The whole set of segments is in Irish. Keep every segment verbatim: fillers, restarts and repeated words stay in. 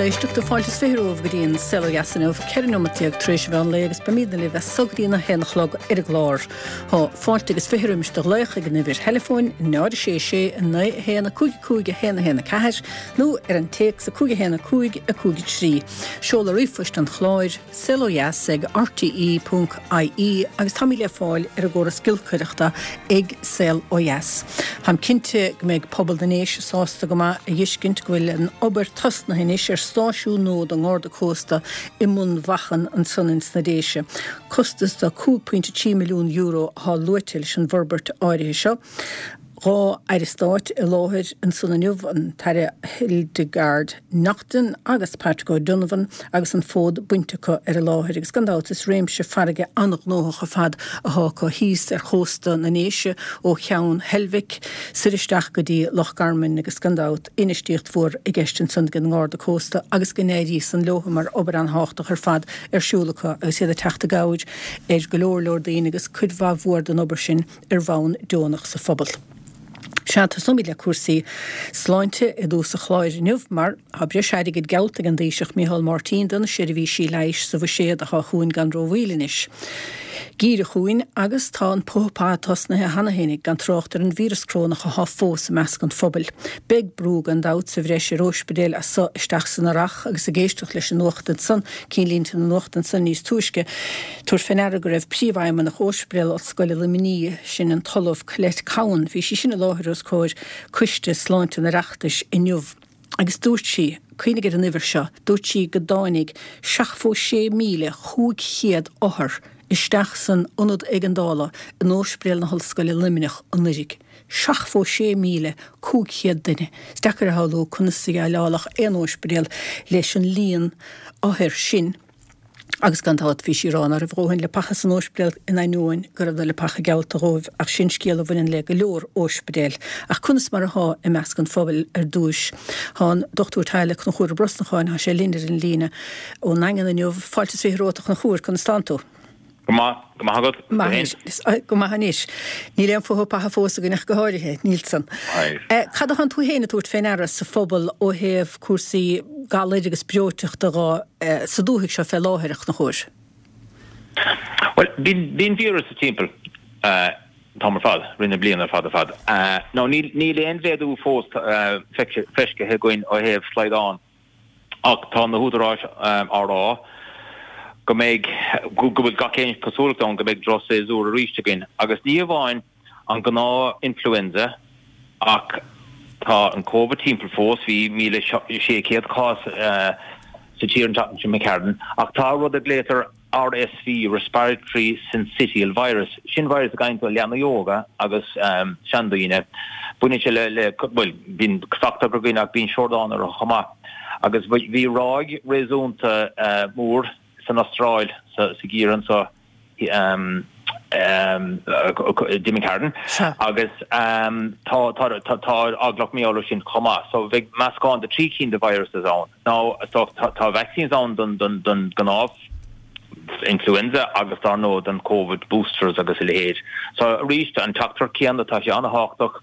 éisteachta fáilte is fiche romhaibh go dtí an Saol Ó Dheas inniu, ceithre nóiméad déag tar éis an mheán lae agus beimidne libh as so go dtí a haon a chlog ar an gclár. Tá fáilte agus fiche roimis do ghlaoch ag an uimhir theileafóin náid a sé sé naoi a haon a cúig cúig a haon a haon a ceathair nó ar an téacs a cúig a haon a cúig a cúig a trí. Seoladh ríomhphoist an chláir, saol ó dheas ag rte ponc ie agus táimid le fáil ar an gcóras giolcaireachta ag Saol Ó Dheas. Táim cinnte go mbeidh pobal na nDéise sásta go maith a fheiscint go bhfuil an obair tosnaithe anois ar stáisiún nua don nGarda Cósta i mBun Mhachan ansan ins na Déise. Costas de cúig pointe trí milliún euro atá luaite leis an bhforbairt áirithe seo. Dhá Aire Stáit i láthair ansan inniu, an tAire Hildegarde Naughton agus Patrick O'Donovan agus an fód bainte acu ar an láthair agus gan dabht is réimse farraige an-ghnóthach ar fad atá acu thíos ar chósta na nDéise ó Cheann Heilbhic soir isteach go dtí Loch Garman agus gan dabht infheistíocht mhór i gceist ansan ag an nGarda Cósta agus go n-éirí san leo mar obair an-thábhachtach ar fad ar siúl acu agus iad ag teacht i gcabhair ar go leor leor daoine agus cuid mhaith mhór den obair sin ar bhonn deonach sa phobal. Sea, tosóimid le cúrsaí sláinte i dtús an chláir inniu mar tá breis airgid geallta ag an dTaoiseach Micheál Martin do na seirbhísí leighis sa bhuiséad atá chugainn gan rómhoill anois. Geimhreadh chugainn agus tá an puth path tosnaithe cheana féinig, gan trácht ar an víreas corónach atá fós i measc an phobail. Beidh brú gan dabht sa bhreis ar ospidéil as so isteach san earrach agus ag éisteacht leis an nuacht ansan, cinnlínte na nuachta ansan níos túisce, tabhair fé ndeara go raibh Príomhfheidhmeannach Ospidéal Ollscoile Luimnigh, sin an tOllamh Colette Cowan, bhí sí sin i láthair os comhair Coiste Sláinte an Oireachtais inniu agus dúirt sí, cuimhnigh ar an uimhir seo, dúirt sí go dtáinig seachtó sé míle chúig chéad othar isteach san Ionad Éigeandála in Ospidéal na hOllscoile Luimneach anuraidh. seachtó sé míle cúig chéad duine. Is deacair a shamhlú conas a dhéileálfadh aon ospidéal leis an líon othar sin. Agus gan dabht bhí sí ag rá ná raibh a dhóthain leapacha san óispidéal in ainneoin go raibh na leapacha geallta dhóibh ach sin scéal a bhaineann le go leor óispidéil. Ach conas mar athá i measc an phobail ar dtúis? Thá an Dochtúir Teaghlaigh Conchúr Ó Brosnacháin, thá sé linn ar an líne ón nDaingean inniu. Fáilte is fiche romhat a Chonchúir, conas tánn tú? Go maith, go maith agat. Maith anois, go maith anois. Níl aon phuth patha fós againn ach go háirithe, níl san. Cad atánn tú féin ag tabhairt fé ndeara sa phobal ó thaobh cúrsaí galair agus breoiteachta dhá sa dúthaigh seo fé láthair, a Chonchúir? Bhuel, bíonn, bíonn víreas timpeall an t-am ar fad, rith na bliana ar fad ar fad. Now níl, níl aon mhéadú fós feiscithe againn ó thaobh slaghdán. Ach tá na húdaráis á rá go mbeidh, go bhfuil gach aon chosúlacht ann go mbeidh drochshéasúr arís againn. Agus ní amháin an gnáth-influenza ach tá an Covid timpeall fós, bhí míle sé chéad cás sa tír an tseachtain seo imigh tharainn, ach tá rud a ghlaotar RSV, Respiratory Syncytial Virus. Sin virus a gheibheann tú ó leanaí óga agus seandaoine. Baineann sé le, le, bhuel, bíonn cosachtacht againn ach bíonn siordán orthu chomh maith. Agus bhí ráig réasúnta mór san Astráil sa gheimhreadh anso d'imigh tharainn agus tá tá eagla mar gheall air sin chomh maith. So bheidh meascán de trí cinn de viruses ann. Now tá vaccines ann don don don gnáth influenza agus dar ndóigh don Covid boosters agus a leithéid. So arís an teachtaireacht céanna tá sé an-thábhachtach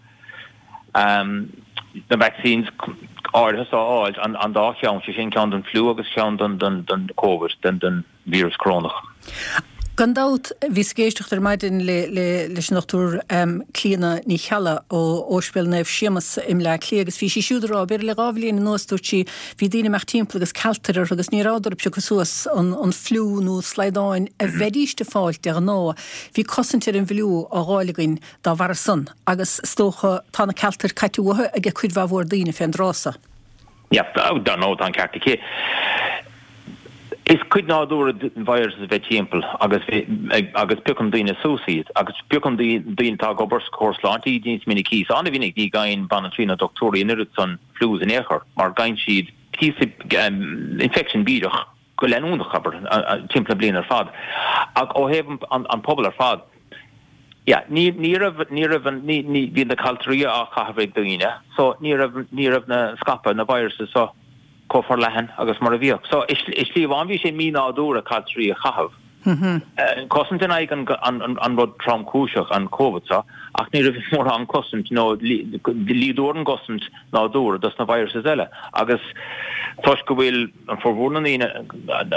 na vaccines áirithe so a fháil, an dá cheann, sé sin ceann don fliú agus ceann don don don Covid, don don víreas corónach. Gan dabht, bhíos ag éisteacht ar maidin le le leis an Dochtúir Clíona Ní Cheallaigh ó Ospidéal Naomh Séamus i mBleá Cliath agus bhí sí siúd ag rá, b'fhéidir le dhá bhliain anuas, dúirt sí, bhí daoine ag imeacht timpeall agus cealtair orthu agus ní rabhadar ag piocadh suas an an fliú nó slaghdáin a bheidíst ag fáilt de ghnáth. Bhí cosaint ar an bhfliú á dh'fháil againn dá bharra san agus is dócha tá na cealtair caite uathu ag cuid mhaith mhór daoine fén dtráth so. Yeah, dar ndóigh tá an ceart aici. Is cuid nádúrtha den virus a bheith timpeall agus agus piocann daoine suas iad agus piocann daoine atá ag obair sa chóras sláinte iad níos minicí. So an-mhinic ní gheibheann banaltraí nó dochtúirí an oiread san flus in aon chor mar gheibheann siad píosa infection bídeach go leanúnach, abair, timpeall na bliana ar fad. Ach ó thaobh an pobal ar fad, yeah, ní ní raibh ní raibh an ní ní bhí na caltraií á chaitheamh ag daoine so ní raibh ní raibh na scaipeadh na viruses so chomh forleathan agus mar a bhíodh. So i slí amháin bhí sé mí-nádúrtha caltraií a chaitheamh Cosaint in aghaidh an, an, an rud tromchúiseach, an Covid seo, ach ní raibh mórán cosaint nó líodúr an gcosaint nádúrtha dos na viruses eile. Agus toisc go bhfuil an formhór na ndaoine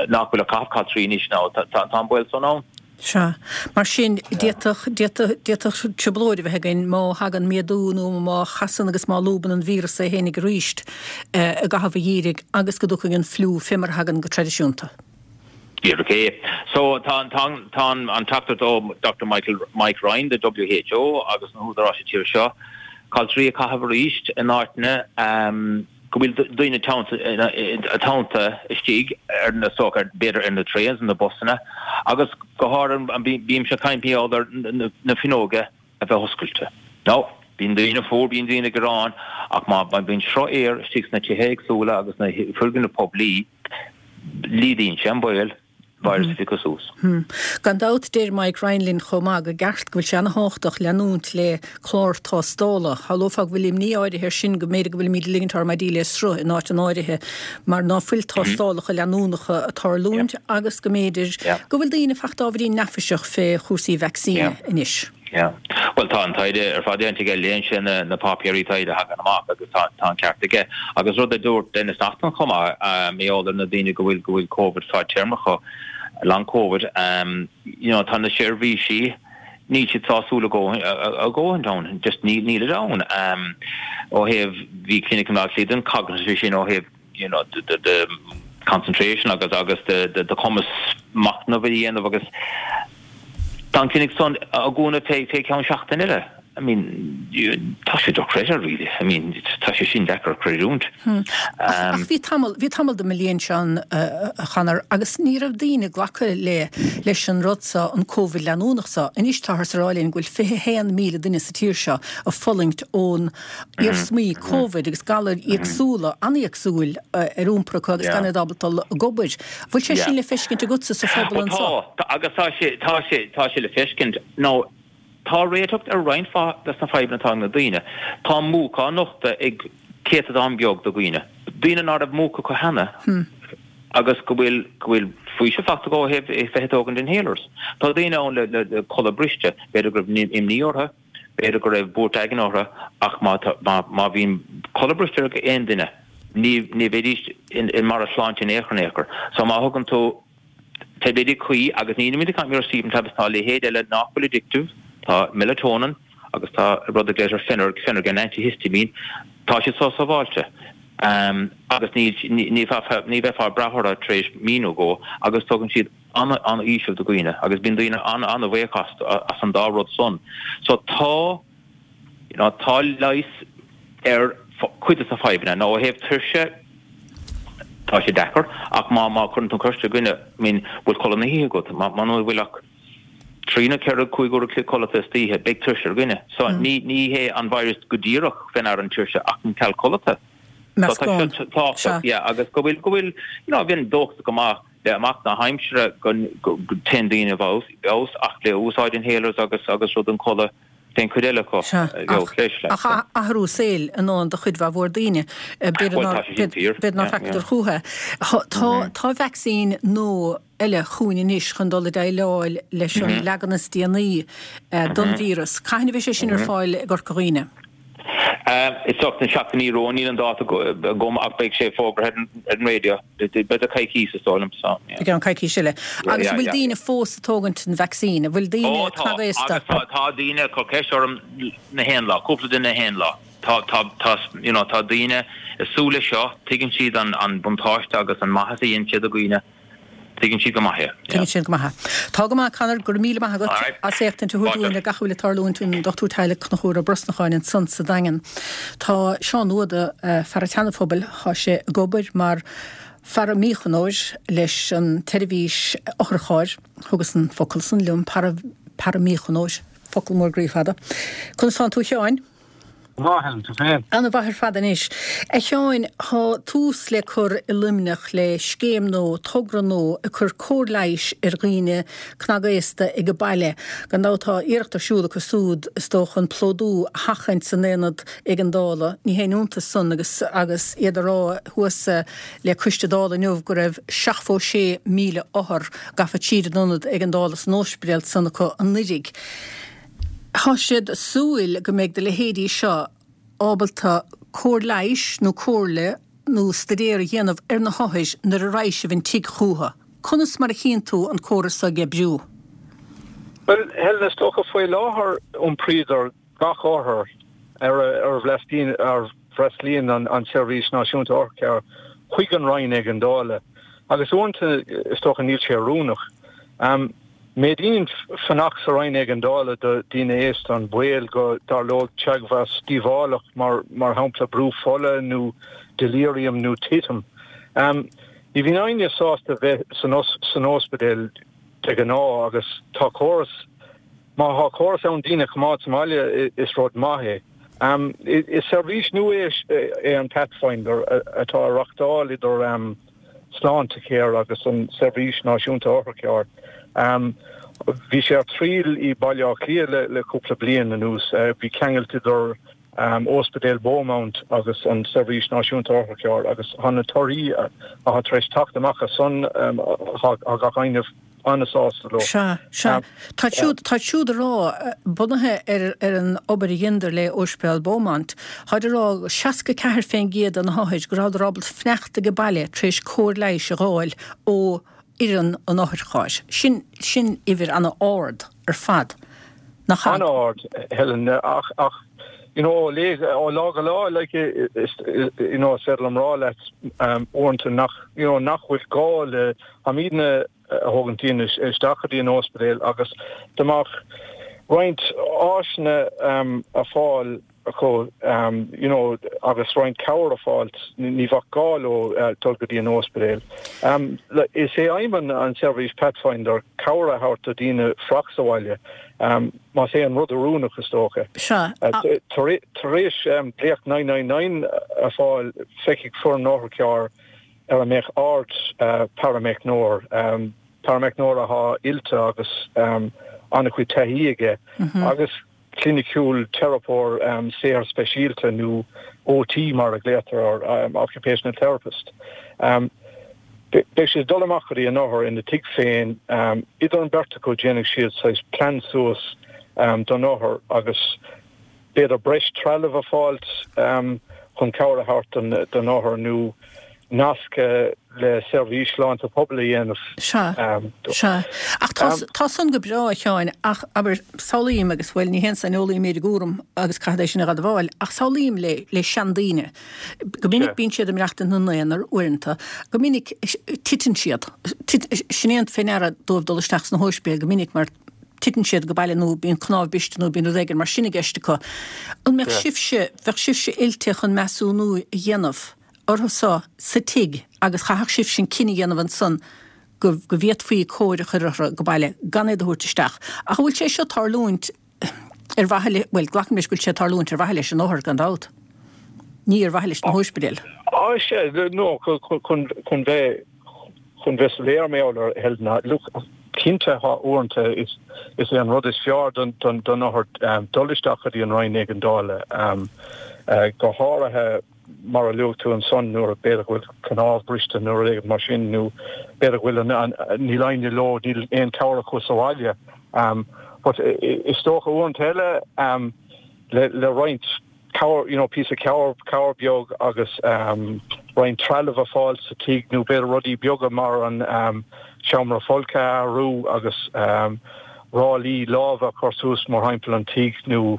nach bhfuil ag caitheamh caltraí anois ná tá, tá, tá an baol san ann. Sea. Mar sin, d'fhéadfadh, d'fhéadfadh, d'fhéadfadh trioblóid a bheith againn má thagann méadú nó má chasann agus má lúbann an víreas é fhéinig arís i gcaitheamh an gheimhridh agus go dtiocfaidh an fliú fé mar a thagann go traidisiúnta. Díreach é. So tá, tá, tá an teachtaireacht ó Doctor Michael, Mike Ryan de W H O agus na húdaráis sa tír seo, caltraí a chaitheamh arís in áiteanna um, go bhfuil daoine teannta istigh ar na sochair, b'fhéidir ar na trains, na busanna, agus go háirithe bímse ag caint ar na fuinneoga a bheith oscailte. Now, bíonn daoine fuar, bíonn daoine ag gearán, ach má bíonn sruth aeir istigh sna tithe éagsúla agus na foirgnimh poiblí, laghdaíonn sé an baol virus a phiocadh suas. Hmm. Gan dabht deir Mike Ryan linn chomh maith go gceart go bhfuil sé ana-thábhachtach leanúint le clár tástála. Shamhlófá go bhfuil imní áirithe air sin go mb'fhéidir go bhfuilimid ag ligint ár maidí le sruth in áit an áirithe mar ná fuil tástálacha leanúnacha ag tarlúint agus go mb'fhéidir go bhfuil daoine fachta ábhairín neafaiseach fé chúrsaí vacsaíne anois. Yeah. Well tá an taighde ar fad déanta aige, léann sé na, na páipéirí taighde a thagann amach agus tá, tá an ceart aige. Agus rud a dúirt Denis Naughten chomh maith, um, eolar na daoine go bhfuil go bhfuil COVID fadtéarmach, long COVID, um, you know, tá na seirbhísí níl siad sásúil a dhóthain ann, just níl níl ann. Um, ó thaobh bhí clinic an den cognitive sin ó thaobh you know, the, the, the concentration agus agus the, the, the cumas machnamh a dhéanamh agus Tá an clinic san á dhúnadh fé fé ceann seachtain eile. I mean, tá sé dochreidte really. I mean, tá sé sin deacair creidiúint. Hmm. Ach bhí tamall bhí tamall de mo bhliain sin a Chonor agus ní raibh daoine glacadh le leis an rud seo an Covid leanúnach seo. Anois táthar ag rá linn go bhfuil fiche haon míle duine sa tír seo ag fulaingt ón iarsmaí Covid agus galair éagsúla an-éagsúil ar iompar acu agus gan iad ábalta dul ag obair. Bhfuil sé sin le feiscint agatsa sa phobal anseo? Tá agus tá sé tá sé tá sé le feiscint. No, tá réiteach ar roinnt mhaith des na fadhbanna atá ag na daoine. Tá múch á nochtadh ag céatadán beag de dhaoine. Daoine nach raibh múch acu cheana agus go bhfuil go bhfuil faoiseamh fachta acu ó thaobh bheith ag tógaint inhalers. Tá daoine ann le le codladh briste, b'fhéidir go raibh imní orthu, b'fhéidir go raibh buairt aigne orthu ach má má má bhíonn codladh briste ag aon duine, ní ní bheidís in in mar a sláinte in aon chor in aon chor. So má thugann tú taibléidí cuí agus ní muid ag caint sleeping tablets tá leithéid eile nach bhfuil addictive, tá melatonin agus tá rud a glaoitear Phener Phenergan antihistamine, tá siad so sábháilte. Um, agus ní ní ní ní bheifeá ag brath orthu tar éis mí nó dhó agus tugann siad an an-fhaoiseamh do dhaoine agus bíonn daoine an an-bhuíoch as as an dá rud san. So tá you know, tá leigheas ar cuid de na fadhbanna nó ó thaobh tuirse tá sé deacair ach má má chuireann tú ceist ar dhuine I mean bhfuil codladh na hoíche agat má má bhfuil ach trí nó ceithre cúig uair codlata istoíche beidh tuirse ar dhuine. So mm. ní ní hé an virus go díreach fé ndear an tuirse ach an ceal codlata. Tá yeah, agus go bhfuil go bhfuil you know, bhíonn dóchas go maith le amach na haimsire go dtéann daoine bheos ach le úsáid inhalers agus agus rud an codladh den chuid eile acu Ach athrú saoil i ndán do chuid mhór daoine b'fhéidir ná facthas chucu. Tá tá vacsaín nó eile chugainn anois chun dul i déileáil leis an leagan is déanaí don víreas. Cathain a bheidh sé sin ar fáil i gCorca Dhuibhne? Is dócha na seachtainí romhainn níl an dáta agam ach beidh sé fógartha ar an raidió b'fhéidir coicís is dóigh liom so. I gceann coicís eile. Agus bhfuil daoine fós ag tógaint an vacsaín, bhfuil daoine cnagaosta? Agus tá daoine ag cur ceist orm na haon lá, cúpla duine na haon lá. Tá tá tá you know tá daoine ag súil leis seo, tuigeann siad an an buntáiste agus an maitheas a dhéanann siad do dhaoine. Tuigeann siad go maith é. Tuigeann siad go maith é. Tá go maith Conor, go raibh míle maith agat as éachtaint a thabhairt dúinn ar gach a bhfuil ag tarlúint an Dochtúir Teaghlaigh Conchúr Ó Brosnacháin ansan sa Daingean. Tá Seán Ó Dubhda, fear an tSeana-Phobail, tá sé ag obair mar pharaimíochánóir leis an tseirbhís otharchairr, thugas an focal san liom, para, paraimíochánóir, focal mór groí fada. Conas tánn tú a Sheáin? Maith, Helen, tú féin? Ana-mhaith ar fad anois. A Sheáin, tá tús le cur i Luimneach le scéim nua, togra nua, ag cur cóir leighis ar dhaoine cnagaosta ag a baile. Gan dabht tá iarracht ar siúl acu súd, is dócha, an plódú a sheachaint san aonad éigeandála. Ní haon iontas san agus agus iad a rá thuas le Coiste Dála inniu go raibh seachtó sé míle othar gafa tríd an ionad éigeandála san óispidéal san acu anuiridh. Tá siad ag súil go mbeidh do leithéidí seo ábalta cóir leighis nó comhairle nó staidéar a dhéanamh ar na hothair nuair a raghaidh sibh an tigh chucu. Conas mar a chíonn tú an córas seo ag oibriú? Bhuel, Helen, is dócha faoi láthair iompraíodar gach othar ar a bhfreastlaíonn an tSeirbhís Náisiúnta Otharchairr chuig an Roinn Éigeandála agus uaireanta is dócha níl sé oiriúnach. Méadaíonn fanacht sa Roinn Éigeandála do dhaoine aosta an baol go dtarlódh teagmhas díobhálach mar mar shampla brú fola nó delirium nó titim. Ní bhíonn éinne sásta bheith san san ospidéal de ghnáth agus tá córas má tá córas ann daoine a choimeád sa mbaile is rud maith é. Is seirbhís nua é an Pathfinder atá á reáchtáil idir Sláintecare agus an Seirbhís Náisiúnta Otharchairr. Bhí sé ar triail i Baile Átha Cliath le cúpla bliain anuas. Bhí ceangailt idir Ospidéal Beaumont agus an Seirbhís Náisiúnta Otharchairr agus tá na torthaí atá tar éis teacht amach as san tá gach éinne an-sásta leo. Sea, sea. Tá siúd, tá siúd a rá, bunaithe ar ar an obair a dheineadar le Ospidéal Beaumont, táid a rá seasca ceathair fén gcéad de na hothair go rabhadar ábalta fanacht ag baile tar éis cóir leighis a dh'fháil ó fhoireann an otharchairr. Sin, sin uimhir ana-ard ar fad. Nach ea? An-ard, Helen, ach, ach, you know, le, ó lá go lá, like, is, you know, is féidir liom rá leat, um, uaireanta nach, you know, nach bhfuil gá le, táimidne a thógann daoine isteach go dtí an ospidéal agus dá mbeadh roinnt áiseanna um, ar fáil acu um, you know, agus roinnt cabhair a fháil ní bheadh gá leo uh, dul go dtí an ospidéal. Um, is é aidhm an, an seirbhís Pathfinder cabhair a thabhairt do daoine fanacht sa bhaile. Um, más é an rud oiriúnach is dócha. Sea. Uh, tar éis um, glaoch naoi naoi naoi a fháil feicfidh foireann otharchairr ar a mbeadh ard uh, parameicneoir, um, parameicneoir atá oilte agus um, an-chuid taithí aige mm -hmm. agus cliniciúil teiripeoir um, saothair speisialta nó O T mar a glaotar ar um, occupational therapist. Um, Beidh siad dul amach go dtí an othar ina tigh féin um, idir an bheirt acu déanfaidh siad saghas plean suas um, don othar agus b'fhéidir breis trealamh a fháilt um, chun cabhair a thabhairt don, don othar nó nasc le seirbhís sláinte pobail a dhéanamh. Sea, sea. Ach tá san go breá, a Sheáin, ach abair, samhlaím agus, bhuel, ní haon saineolaí mé ar an gcúram agus caithfead é sin a dh'admháil, ach samhlaím le, le seandaoine. Go minic bíonn siad ag maireachtaint ina n-aonar uaireanta. Go minic titeann siad. Sin é an fé ndeara dóibh dul isteach sna hóispidéil go minic mar titeann siad go baile nó bíonn cnámh briste nó bíonn rud éigin mar sin i gceist acu. An mbeadh sibhse, bheadh sibhse oilte chun measúnú a dhéanamh orthu so sa tigh agus chaithfeadh sibhse an cinneadh a dhéanamh ansan go go bhféadfaí cóir a chur orthu go baile gan iad a thabhairt isteach. Ach an bhfuil sé seo tarlúint ar mhaithe le, bhuel, glacaim leis go bhfuil sé tarlúint ar mhaithe leis an othar gan dabht. Ní ar mhaithe leis na hóispidéil. Á sea, no, chun chun bheith chun bheith soiléir mé ar Helen, look, cinnte tá uaireanta is is é an rud is fearr don don don othar um, dul isteach go dtí an Roinn Éigeandála um, uh, go háirithe mar a luaigh tú ansan nuair b'fhéidir go bhfuil cnámh briste nó rud éigin mar sin nó b'fhéidir go bhfuil an níl éinne leo níl aon cabhair acu sa bhaile. Um, but is dócha uaireanta eile um, le, le roinnt cabhair, you know, píosa cabhair cabhair beag agus um, roinnt trealamh a fháil sa tigh nó b'fhéidir rudaí beaga mar an um, seomra folctha a athrú agus um, ráillí láimhe a chur suas mar thimpeall an tigh nó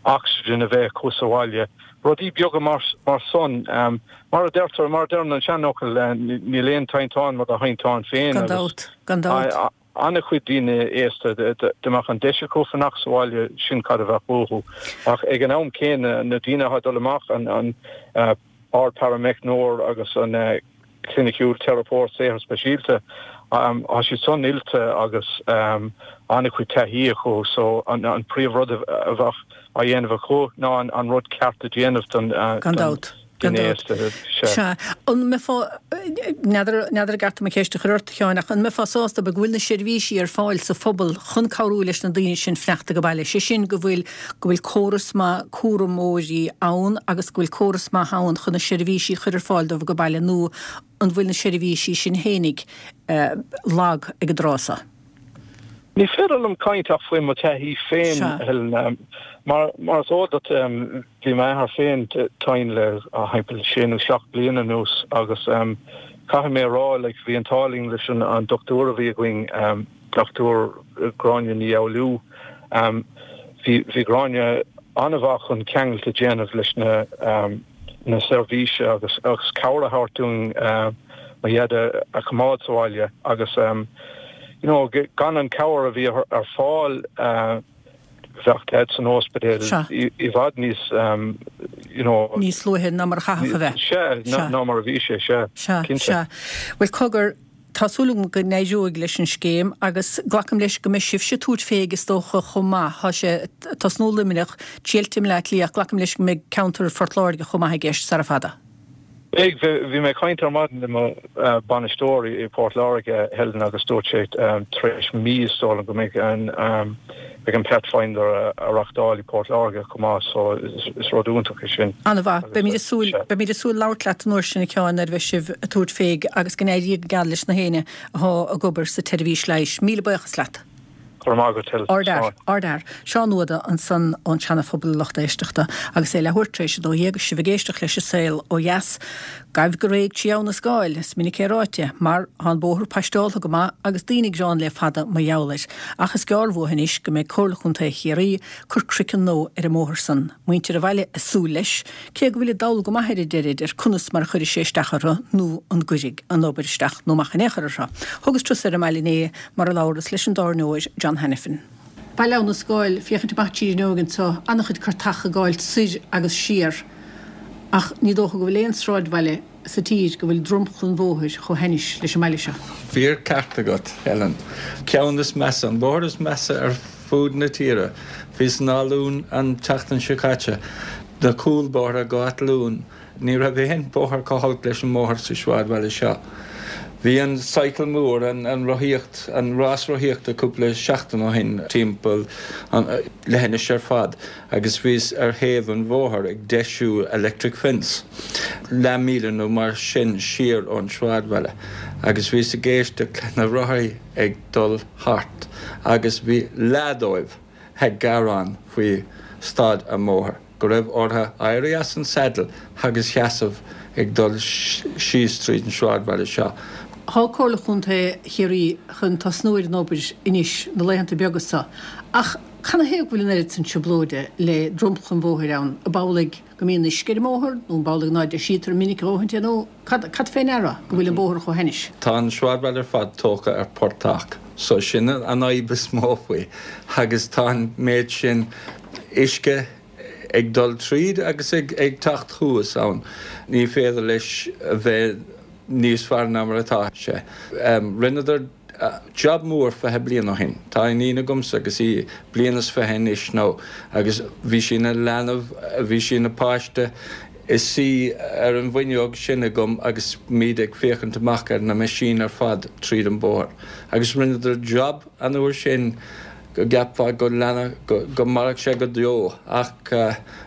oxygen a bheith acu sa bhaile. Rudaí beaga mar, mar san um, mar a deirtear mar a deireann an seanfhocal uh, níl aon tinteán mar do thinteán féin Gan dabht, gan dabht. An-chuid daoine aosta dá mbeadh an deis acu fanacht sa bhaile sin cad a bheadh uathu. Ach ag an am céanna na daoine atá ag dul amach an an uh, ardpharameicneoir agus an uh, cliniciúil teiripeoir saothair speisialta Tá siad san oilte agus an-chuid taithí acu so an príomhrud a bheadh á dhéanamh acu ná an rud ceart a dhéanamh don Gan dabht. Gan dabht. Sea. An mbeifeá, n'fheadar, n'fheadar an gceart dom an cheist a chur ort, a Sheáin, ach an mbeifeá sásta go bhfuil na seirbhísí ar fáil sa phobal chun cabhrú leis na daoine sin fanacht ag baile, sé sin go bhfuil, go bhfuil córas maith cúramóirí ann agus go bhfuil córas maith ann chun na seirbhísí a chur ar fáil dóibh ag baile nó an bhfuil na seirbhísí sin fhéinig lag ag an dtráth seo? Ní féidir liom caint ach faoi mo taithí féin, Helen. Mar mar is eol duit, bhí m'athair féin tinn le thimpeall sé nó seacht bliana anuas agus caithfidh mé a rá, like, bhí an t-ádh linn leis an an dochtúir a bhí againn, Dochtúir Gráinne Ní Fhoghlú. Bhí bhí Gráinne an-mhaith chun ceangailt a dhéanamh leis na na seirbhíse agus agus cabhair a thabhairt dúinn mo Dhaid a choimeád sa bhaile agus you know, gan an cabhair a bhí ar fáil bheadh Daid san ospidéal i bhfad níos you know, níos luaithe ná mar a chaithfeadh a bheith. Sea, ná mar a bhí sé, sea, cinnte. Sea, Bhuel cogar, tá súil agam go n-éireoidh leis an scéim agus glacaim leis go mbeidh sibhse ag tabhairt fé is dócha chomh maith. Tá sé tosnú Luimneach, triailte i mBleá Cliath, glacaim leis go mbeidh ceantar Phort Láirge chomh maith i gceist sara fada. Beidh, bhí mé ag caint ar maidin le mo bainisteoir i Port Láirge, Helen, agus dúirt sé tar éis mí is dóigh liom go mbeidh an beidh an Pathfinder á reachtáil i Port Láirge chomh maith so is rud iontach é sin. An-mhaith. Beimid ag súil, beimid ag súil labhairt leat an uair sin a Sheáin nuair a bheidh sibh ag tabhairt fé agus go n-éirí go geal leis na héinne atá ag obair sa tseirbhís leighis. Míle buíochas leat. Go raibh maith agat, Helen. Ardfhear, ardfhear. Seán Ó hAodha ansan ón Seana-Phobal a lucht éisteachta agus é leathuair tar éis a dó dhéag agus sibh ag éisteacht leis an Saol Ó Dheas. Gabh go réidh trí Abha na Scáil, is minic é ráite, mar tá an bóthar paisteáltha go maith agus daoine ag gearán le fada mar gheall air. Ach is gearr uathu anois go mbeidh Comhairle Chontae Chiarraí cur croiceann nua ar an mbóthar san. Muintir an bhaile ag súil leis, cé go bhfuil dall go maith ar a deirid ar conas mar a chuirfidh sé isteach orthu nó an gcuirfidh an obair isteach nó amach in aon chor orthu. Thugas turas ar an mbaile inné mar a labhras leis an dtábhairneoir John Hanafin. Baile Abha na Scáil, féachaint amach tríd an fhuinneog anseo, an-chuid cartacha ag gabháilt soir agus siar, ach ní dócha go bhfuil aon sráidbhaile sa tír go bhfuil dromchla an bhóthair chomh hainnis leis an mbaile seo. Fíor ceart agat, Helen. Ceann is measa, an bóthar is measa ar fud na tíre. Bhíos in Áth Luain an tseachtain seo caite, na cúlbóithre go Áth Luain. Ní raibh aon bóthar chomh holc leis an mbóthar sa sráidbhaile seo. Bhí an cycle mór, an an rothaíocht, an rás rothaíochta cúpla seachtain ó shin timpeall an leithinis ar fad agus bhíos ar thaobh an bhóthair ag deisiú electric fence, leath míle nó mar sin siar ón sráidbhaile agus bhíos ag éisteacht le na rothaí ag dul thart agus bhí leath dóibh ag gearán faoi staid an mbóthair, go raibh orthu éirí as an saddle agus seasamh ag dul síos tríd an sráidbhaile seo. Tá Comhairle Chontae Chiarraí chun tosnú ar an obair anois na laethanta beaga seo, ach canathaobh go bhfuil an oiread san trioblóide le dromchla an bhóthair ann? Ab amhlaidh go mbíonn uisce ar an mbóthar nó ab amhlaidh ná deisítear minic a dhóthaint é nó cad cad fé ndeara go bhfuil an bóthar chomh hainnis? Tá an sráidbhaile ar fad tógtha ar portach so sin an fhadhb is mó faoi agus tá an méid sin uisce ag dul tríd agus ag ag teacht thuas ann. Ní féidir leis a bheith níos fearr ná mar atá sé. Rinneadar job mór fiche bliain ó shin. Tá iníon agamsa agus í bliain is fiche anois nó agus bhí sí ina leanbh, bhí sí ina páiste ina suí ar an bhfuinneog sin agam agus muid ag féachaint amach ar na meaisín ar fad tríd an bóthar. Agus rinneadar job an uair sin go gceapfá go leanfadh, go, go mairfeadh sé go deo ach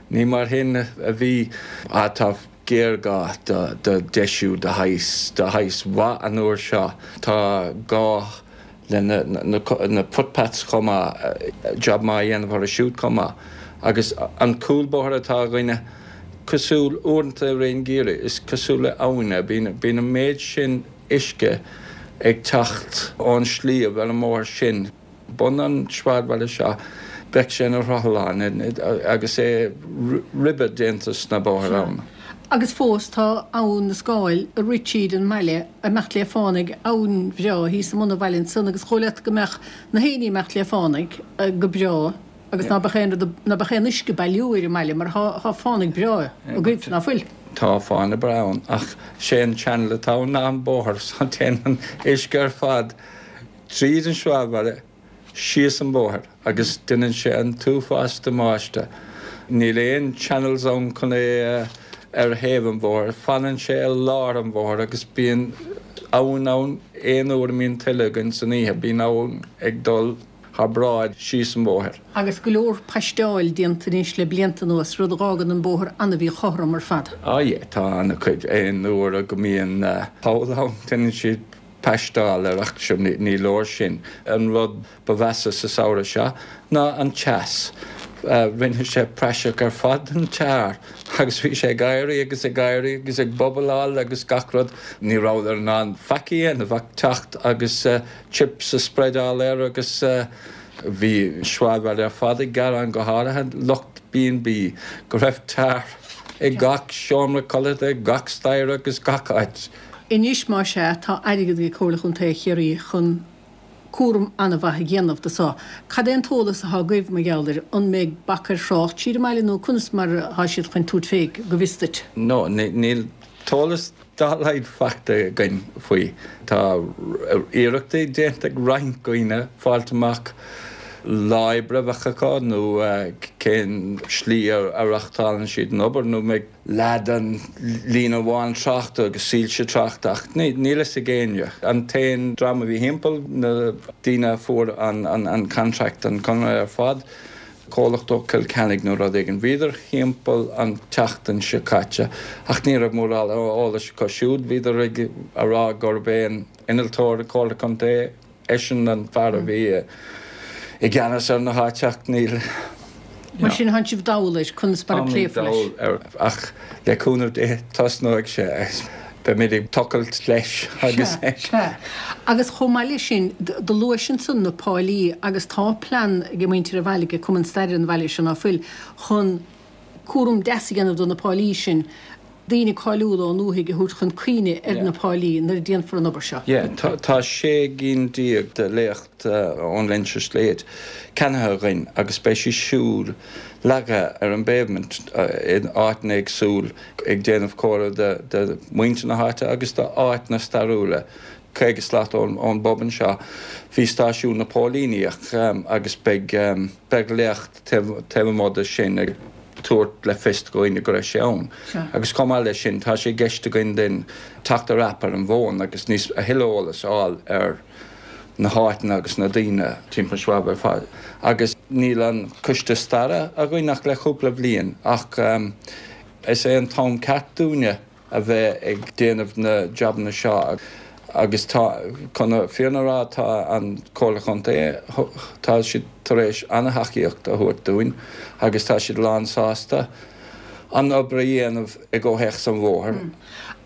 ní mar sin a bhí. Tá géarghá do, do deisiú de shaghas, de shaghas mhaith an uair seo. Tá gá le na, na, na footpaths chomh maith, job maith a dhéanamh orthu siúd chomh maith. Agus an cúlbóthar atá againne, cosúil, uaireanta i rith an gheimhridh, is cosúil le abhainn é. Bíonn, bíonn an méid sin uisce ag teacht ón sliabh ar an mbóthar sin. Bun an sráidbhaile seo, bheadh sé ina rothlán agus é ribe déanta sna bóithre ann. Agus fós tá Abhainn na Scáil ag rith tríd an mbaile ag imeacht le fánaidh, abhainn bhreá thíos i mbun an bhaile ansan agus dhóigh leat go mbeadh na héinní ag imeacht le fánaidh go breá agus ná beadh aon rud, ná beadh aon uisce ag bailiú ar an mbaile mar thá, thá fánaidh breá agaibh, ná fuil? Tá fána breá ann ach sé an channel atá ann ná an bóthar so téann an uisce ar fad tríd an sráidbhaile síos an bóthar agus déanann sé an t-uafás damáiste. Níl aon channels ann chun é ar thaobh an bhóthair, fanann sé i lár an bhóthair agus bíonn abhainn ann aon uair a mbíonn tuile againn san oíche, bíonn abhainn ag dul thar bráid síos an bóthar. Agus go leor paisteáil déanta anois le blianta anuas, rud a dh'fhágann an bóthar an-mhíchothrom ar fad. Ah yeah, tá an-chuid. Aon uair go mbíonn poll ann, déanann siad paisteáil air ach sure ní leor sin. An rud ba mheasa sa samhradh seo ná an teas. Rinne sé praiseach ar fad den tar agus bhí sé ag éirí agus ag éirí agus ag bubbleáil agus gach rud. Ní rabhadar in ann faic a dhéanamh ach teacht agus chips a spreadáil air agus bhí an sráidbhaile ar fad ag gearán, go háirithe lucht B and B, go raibh tar i gach seomra codlata, gach staighre agus gach áit. Anois, más ea, tá airgead ag Comhairle Chontae Chiarraí chun cúram an-mhaith a dhéanamh de so. Cad é an t-eolas atá agaibh mar gheall air? An mbeidh bac ar thrácht tríd an mbaile nó conas mar atá siad chun tabhairt fé, go bhfios duit? No, níl t-eolas dá laghad faighte againn faoi. Tá iarrachtaí déanta ag roinnt daoine fáilt amach lá oibre a bheadh acu nó cén slí a reáchtálann siad an obair nó an mbeidh leath den líne amháin tráchta agus soilse tráchta ach níl fhios ag éinne. An t-aon dream a bhí thimpeall, na daoine a fuair an contract, an conradh ar fad, comhlacht ó Cill Ceannaigh nó rud éigin, bhíodar thimpeall an tseachtain seo caite ach ní raibh mórán eolais acu siúd. Bhíodar ag rá gurb é an innealtóir Comhairle Contae eisean an fear a bhí i gceannas ar na háite ach níl. Mar sin tánn sibh dall air conas mar a pléifear leis. Táimid dall air ach le cúnamh Dé tosnóidh sé agus beimid ag tochailt leis agus. Sea, sea. Agus chomh maith leis sin, do luais ansan na páilí agus tá plean ag muintir an bhaile, ag Cumann Staire an bhaile seo ná fuil, chun cúram deas a dhéanamh do na páilí sin. daoine cáiliúla ón ndúthaigh a thabhairt chun cuimhne ar na páilí nuair a déanfar an obair seo. Yeah, tá sé gcinn déag de léacht ón Leinster Slate ceannaithe againn agus beidh sí siúd leagtha ar an bpavement in áiteanna éagsúil ag déanamh comóradh de mhuintir na háite agus d'áiteanna stairiúla. Caoga slat ón bpub anseo bhí stáisiún na póilíní agus beidh beidh léacht taobh amuigh de sin ag tabhairt le fios do dhaoine go raibh sé ann. Agus chomh maith leis sin, tá sé i gceist againn duinn teacht ar aip ar an bhfón agus níos a thuilleadh eolas a fháil ar na háiteanna agus na daoine timpeall an sráidbhaile ar fad. Agus níl an coiste staire againn ach le cúpla bliain ach is é an t-am ceart dúinne a bheith ag déanamh na jabanna seo agus tá, chun na fírinne a rá, tá an Chomhairle Chontae, tá siad tar éis an-thacaíocht a thabhairt dúinn agus tá siad lán-sásta an obair a dhéanamh i gcomhthéacs an bhóthair.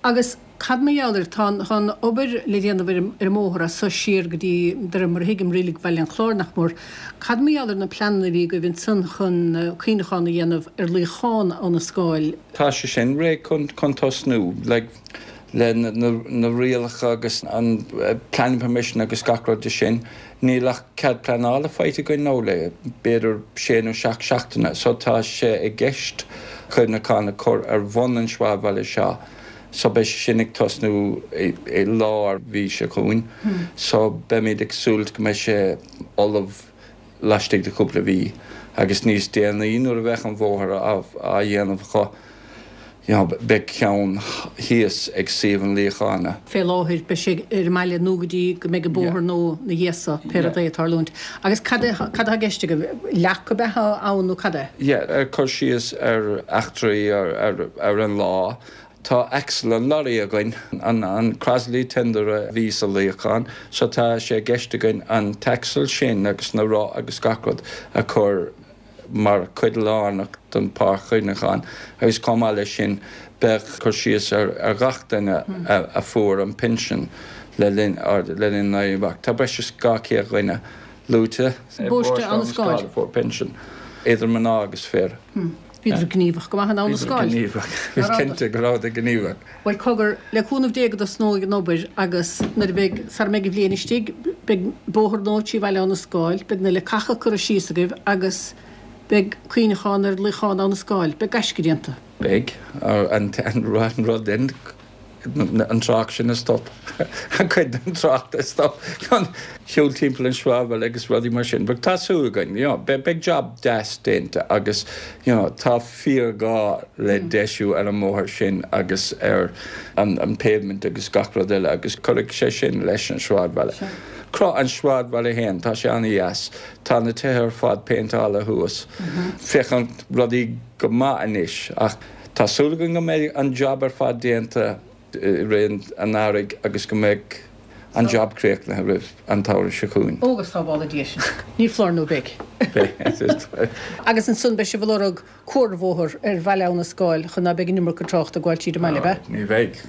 Agus cad mar gheall air, tá an obair le déanamh ar an mbóthar as so siar go dtí, de réir mar a thuigim, Reilig Bhaile an Chláir, nach mór. Cad mar gheall ar na pleananna a bhí agaibh ansan chun cuimhneachán a dhéanamh ar luíochán Abha na Scáil? Tá sé sin réidh chun tosnú, like, le na rialacha agus an planning permission agus gach rud de sin. Níl ach cead pleanála faighte againn nó le b'fhéidir sé nó seacht seachtaine so tá sé i gceist cuimhneachán a chur ar bhun an sráidbhaile seo so beidh sé sin ag tosnú i lár mhí seo chugainn so beimid ag súil go mbeidh sé ullamh laistigh de chúpla mhí agus níos déanaí nuair a bheidh an bhóthar á dhéanamh acu you know, beidh ceann thíos ag suíomh an luíocháin. Fé láthair, beidh sé ar an mbaile nó go dtí go mbeidh an bóthar nua ina dhiaidh so, pé rud é ag tarlúint. Agus cad é, cad atá i gceist agaibh? Leac ab ea atá ann nó cad é? Yeah, ag cur síos ar eachtraí ar, ar, ar an lá. Tá axle an lorry againn, an, an Crosley tender a bhí sa luíochán, so tá sé i gceist againn an t-axle sin agus na roth agus gach rud a chur mar chuid lárnach den pháirc chuimhneacháin agus chomh maith leis sin beidh cur síos ar ar ghach duine a fuair an pinsean le linn le linn an Éirí Amach. Tá breis is dhá chéad dhuine luaite i bParóiste Abha na Scáil a fuair pinsean, idir mná agus fir. Bhíodar gníomhach go maith in Abha na Scáil. Bhíodar gníomhach. Is cinnte go rabhadar gníomhach. Bhuel, cogar, le cúnamh Dé go dtosnóidh an obair agus nuair a bheidh, sara mbeidh an bhliain istigh, beidh bóthar nua trí Bhaile Abha na Scáil, beidh na leacacha curtha síos agaibh agus beidh cuimhneachán ar luíochán Abha na Scáil. Beidh gaisce déanta. Beidh an an rud in an trácht sin a stop an cuid den trácht a stop chun siúl timpeall an sráidbhaile agus rudaí mar sin. But tá súil againn, you know, beidh job deas déanta agus you know, tá fíorghá le deisiú ar an mbóthar sin agus ar an, an pavement agus gach rud eile agus cuirfidh sé sin leis an sráidbhaile. Cruth an sráidbhaile féin tá sé an-deas tá na tithe ar fad péinteáilte thuas. Féachann rudaí go maith anois ach tá súil againn go mbeidh an job ar fad déanta i rith an earraigh agus go mbeidh an job críochnaithe roimh an tsamhradh seo chugainn. Ó go sábhála Dia sinn. Ní foláir nó beidh. Agus ansan beidh sibh ag lorg cuarbhóthar ar Bhaile Abha na Scáil chun ná beidh an iomarca tráchta ag gabháil tríd an mbaile, ab ea? Ní bheidh.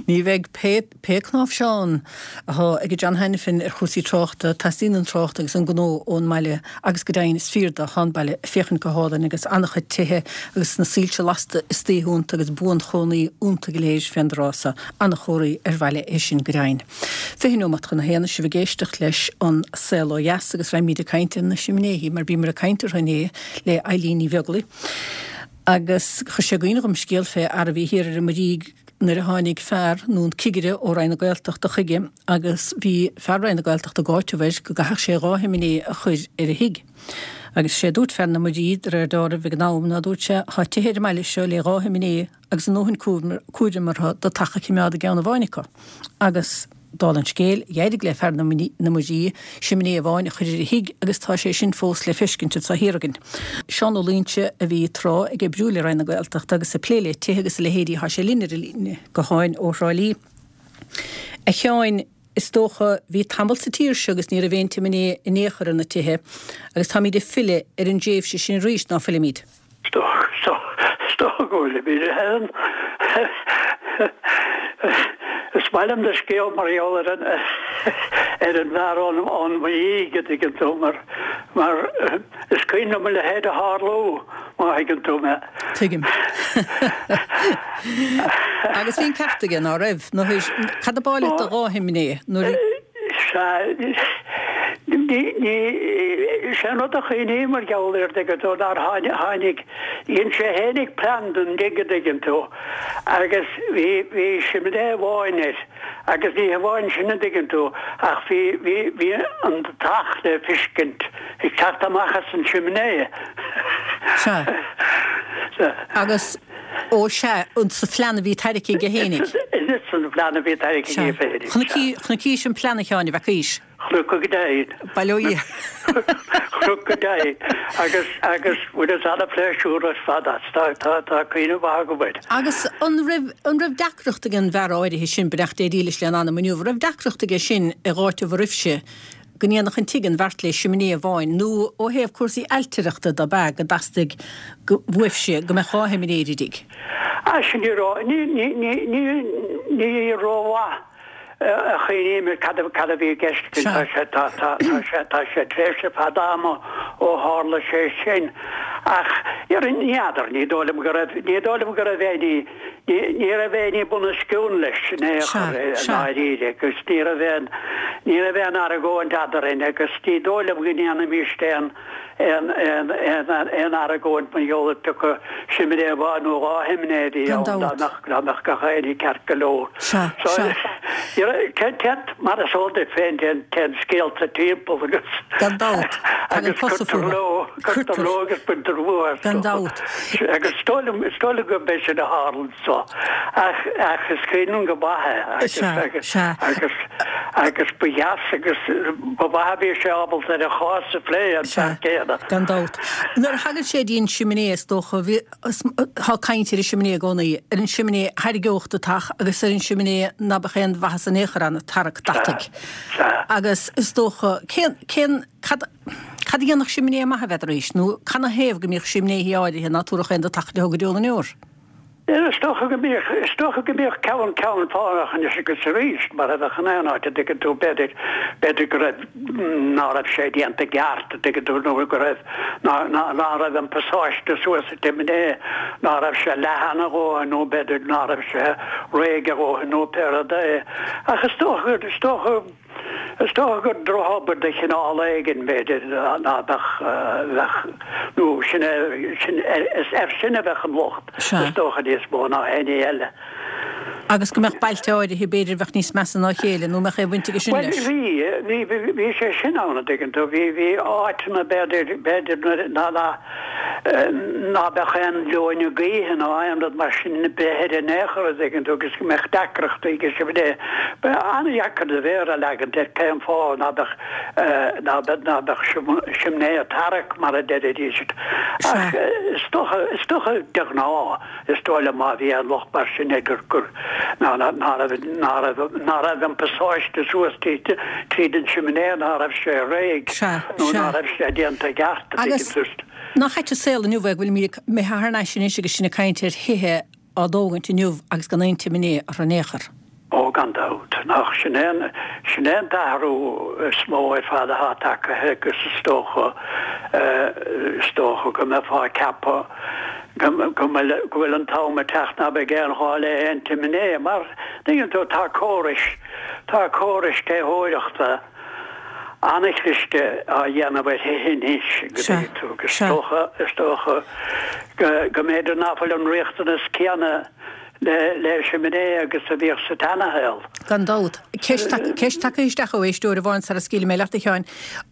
Ní bheidh pé pé cnáimhseán atá ag John Hanafin ar chúrsaí tráchta, teastaíonn an trácht agus an gnó ón mbaile agus go deimhin is fíor do tá an baile ag féachaint go hálainn agus an-chuid tithe agus na soilse lasta istoíche iontu agus buanchónaí iontu go léir fén dtráth so. An-chomhartha ar bhaile é sin go deimhin. Fiche nóimeat chun a haon sibh ag éisteacht leis an Saol Ó Dheas agus raghaimid ag caint ar na simnéithí mar bhíomar ag caint orthu inné le Eileen Ní Bheaglaoich. Agus chuir sé i gcuimhne dhom scéal fé fhear a bhí thiar ar an Muirígh nuair a tháinig fear nó an cigire ó Roinn na Gaeltachta chuige agus bhí fear Roinn na Gaeltachta ag áiteamh air go gcaithfeadh sé dhá shiminé a chur ar a thigh. Agus sé dúirt fear na Muirí de réir dealraimh ag an am ná dúirt sé tá tithe ar an mbaile seo le dhá shiminé agus a ndóthain cúraim orthu do teach a choimeád i gceann amháin acu. Agus dála an scéil, d'éirigh le fear na Muirí siminé amháin a chur ar a thigh agus tá sé sin fós le feiscint anseo thiar againn. Seán Ó Loingsigh a bhí tráth ag oibriú le Roinn na Gaeltachta agus ag plé le tithe agus a leithéidí tá sé linn ar an líne gutháin ó Thrá Lí. A Sheáin, is dócha, bhí tamall sa tír seo agus ní raibh aon tsiminé in aon chor ar na tithe agus táimid ag filleadh ar an dtréimhse sin arís, ná fuilimid? Is dócha go bhfuilimid, a Helen. Is maith liom do scéal mar gheall ar an ar an bhfear ón ón Mhuirígh, a dtuigeann tú, mar mar is cuimhin liom a leithéid a tharlú, má thuigeann tú mé. Tuigim. Agus bhí an ceart aige, ná raibh? Nó cad ab áil leat do dhá shiminé nuair a. Sea, ní, ní, sé an rud a chuimhním mar gheall air, dtuigeann tú, nár tháinig, dhein sé fhéinig plean don dtigh, a dtuigeann tú, agus bhí, bhí simné amháin air, agus ní hamháin sin, a dtuigeann tú, ach bhí, bhí, bhí an deatach le feiscint ag teacht amach as an simné. Sea. Agus, ó sea, sa phlean a bhí tairgthe aige fhéinig. San phlean a bhí tairgthe aige féinig. Chonaicís an plean a Sheáin, an bhfeacaís? Chonac go deimhin. Bail ó Dhia. Chonac go deimhin. Agus, agus bhaineas ana-phléisiúr ar fad as. Tá, tá, tá cuimhne mhaith agam air. Agus an raibh, an raibh deacracht ag an bhfear áirithe sin, beannacht Dé dílis lena anam inniu, an raibh deacracht aige sin ag áiteamh oraibhse go ndéanfadh an tigh an bheart le siminé amháin, nó ó thaobh cúrsaí ailtireachta de ab ea go dteastaigh uaibhse go mbeadh dhá shiminé ar an dtigh? Ah, sin ní ró, ní, ní, ní, ní, ní rómhaith a chuimhním ar cad a, cad a bhí i gceist againn. Tá sé, tá, tá, tá sé, tá sé tréimhse fada ama ó tharla sé sin. Ach, ní fheadar, ní dóigh liom go raibh, ní dóigh liom go raibh éinní, ní, ní raibh éinní bunoscionn leis in aon chor, i ndáiríre, agus ní raibh aon, ní raibh aon argóint eadrainn agus ní dóigh liom go ndéanfaimis aon, aon, aon, aon, aon argóint mar gheall ar pé acu siminé amháin nó dhá shiminé a bhí ann, dá mbeadh, dá mbeadh gach éinní ceart go leor. Sea, So, sea. ní raibh, téann, téann, mar is eol duit féin, téann, téann scéalta timpeall agus, Gan dabht. Tagann agus cosa cuirtear fúthu. leo, cuirtear Cuirtear. leo agus baintear uathu astu. Gan dabht. Agus is dóigh liom, is dóigh liom gurb é sin a tharla anso. Ach, ach is cuimhin liom go maith é agus, Sea, agus, sea. agus, agus ba dheas agus ba mhaith a bhí sé ábalta ar an chás a phlé, an Sea, fear céanna. gan dabht. Nuair a thagann sé dtí an siminé, is dócha, bhí, tá caint ar an siminé i gcónaí, ar an siminé a thairgeodh do theach agus ar an siminé ná beadh aon mhaitheas in aon chor ann, tarrac Sea, deataigh. sea. Agus is dócha, cén, cén, cad, Cad a dhéanfadh siminé maith, n'fheadaraís, nó canathaobh go mbíodh simnéithí áirithe ná tabharfadh aon deatach leo go deo na ndeor? Is dócha go mbíodh, is dócha go mbíodh ceann, ceann fánach anois agus arís, mar a bheadh in aon áit, a dtuigeann tú, b'fhéidir, b'fhéidir go raibh, ná raibh sé déanta i gceart, a dtuigeann tú, nó go raibh, ná, ná, ná raibh an pasáiste suas sa tsimitné, ná raibh sé leathan a dhóthain nó b'fhéidir ná raibh sé réidh a dhóthain nó pé rud é. Ach is dócha, is dócha, Is dócha gur drochobair de chineál éigin, b'fhéidir, ná beadh, bheadh, nó sin é, sin, is air sin a bheadh an locht, is dócha, níos mó ná éinne eile. Agus go mbeadh bailte áirithe, b'fhéidir, a bheadh níos measa ná a chéile, nó mbeadh aon bhaint aige sin leis? Bhuel, bhí, bhí, bhí sé sin ann, an dtuigeann tú, bhí, bhí áiteanna, b'fhéidir, b'fhéidir ná, ná, ná beadh aon leoithne gaoithe nó aon rud mar sin ar bith in aon chor, an dtuigeann tú, agus go mbeadh deacrachtaí aige sin. Ba an-dheacair do mhéar a leagaint ar cén fáth ná beadh, ná beadh, ná beadh simné ag tarrac mar a deiridís. Ach is dócha, is dócha de ghnáth, is dóigh liom má bhí aon locht mar sin air gur, gur, ná, ná, ná raibh, ná raibh, ná raibh an pasáiste suas tríd, tríd an simné, ná raibh sé réidh nó ná raibh sé déanta i gceart, a Agus dtuigeann tú. nach ait an saol inniu é go bhfuilimid imithe thar n-ais anois agus sinn ag caint ar thithe á dtógaint inniu agus gan aon tsiméiné orthu in aon chor. Ó, gan dabht. Nach sin é an, sin é an t-athrú is mó ar fad atá tagtha agus is dócha, is dócha go mbeifeá ag ceapadh go, go bhfuil, go bhfuil an t-am ag teacht ná beidh aon ghá le haon tsiméiné mar, tuigeann tú, tá córais, tá córais téitheoireachta an-chliste á dhéanamh ar thithe anois, go dtuigfidh tú, agus is dócha, is dócha go, go mb'fhéidir ná fuil an riachtanas céanna le, le siminé agus a bhíodh sa tseanashaol. Gan dabht. Ceist tagtha isteach ó éisteoir amháin sara scaoilfidh mé leat, a Sheáin.